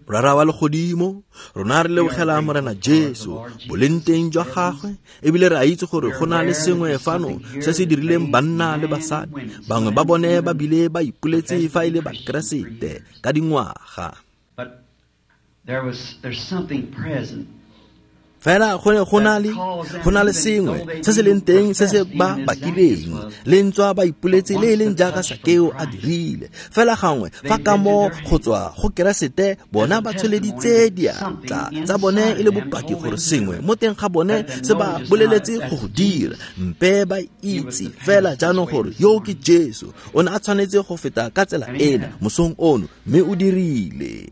Rara wa legodimo, rona re lebogela Morena Jesu boleng teng jwa gagwe, ebile re a itse gore go na le sengwe fano se se dirileng banna le basadi. Bangwe ba bone ba bile ba ipoletse fa e le Bakeresete ka dingwaga. Fela go ne go na le sengwe se se leng teng se se ba bakileng, le ntswa ba ipoletse le e leng jaaka Sakeo a dirile. Fela gangwe fa kamo go tswa go Keresete, bona ba tsholeditse diatla tsa bone e le bopaki gore sengwe mo teng ga bone se ba boleletse go go dira. Mpe ba itse fela jaanong gore yo ke Jesu, o ne a tshwanetse go feta ka tsela ena mosong ono, mme o dirile.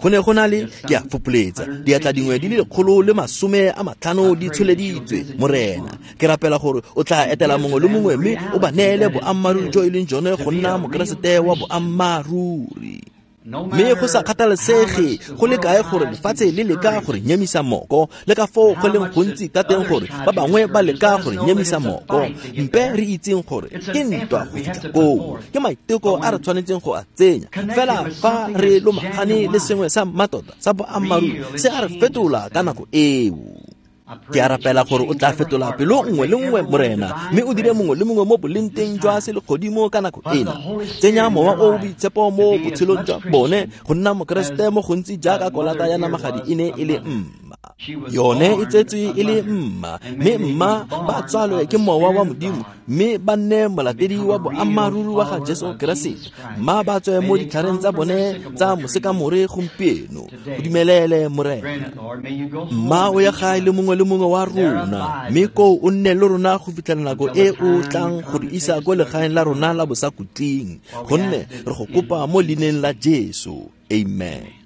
Go ne go na le, ke a fopoletsa, diatla dingwe di le 150 di tsholeditswe. Morena, ke rapela gore o tla etela mongwe le mongwe mme o ba neele boammaaruri jo e leng jone go nna Mokeresete wa boammaaruri. Mme go sa kgathalesege go le kae gore lefatshe le leka gore nyemisa moko, le ka foo go leng gontsi ka teng gore ba bangwe ba leka gore nyemisa moko, mpe re itseng gore ke ntwa go fitlha koo, ke maiteko a re tshwanetseng go a tsenya. Fela fa re lomagane le sengwe sa mmatota sa boammaaruri, se a re fetola ka nako eo. Ke a rapela gore o tla fetola pelo nngwe le nngwe, Morena, mme o dire mongwe le mongwe mo bolenteng jwa selegodimo ka nako ena. Tsenya mowa o o boitshepo mo botshelong jwa bone go nna Mokeresete mo gontsi jaaka kolata ya namagadi e ne e le mma. Yone e tsetswe e le mma, mme mma ba tswalwe ke mowa wa Modimo, mme ba nne molatedi wa boammaaruri wa ga Jesu Keresete. Mma ba tswe mo ditlhareng tsa bone tsa mosekamore gompieno. Go dumelele, Morena. Mma o ya gae le mongwe le mongwe wa rona, mme koo o nne le rona go fitlhela nako e o tlang go re isa ko legaeng la rona la bosakutleng, gonne re go kopa mo leineng la Jesu. Amen.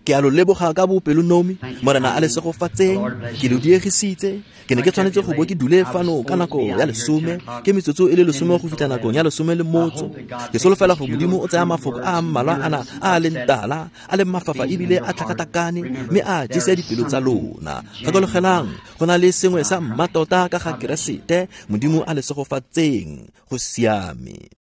Ke a lo leboga ka bopelonomi, Morena a le segofatseng. Ke lo diegisitse. Ke ne ke tshwanetse go bo ke dule fano ka nako ya 10, ke metsotso e le 10 go fitlha nakong ya 13. Ke solofela gore Modimo o tsaya mafoko a mmalwa ana a leng tala, a leng mafafa ebile a tlhakatlhakane, mme a jese dipelo tsa lona. Gakologelang, go na le sengwe sa mmatota ka ga Keresete. Modimo a le segofatseng. Go siame.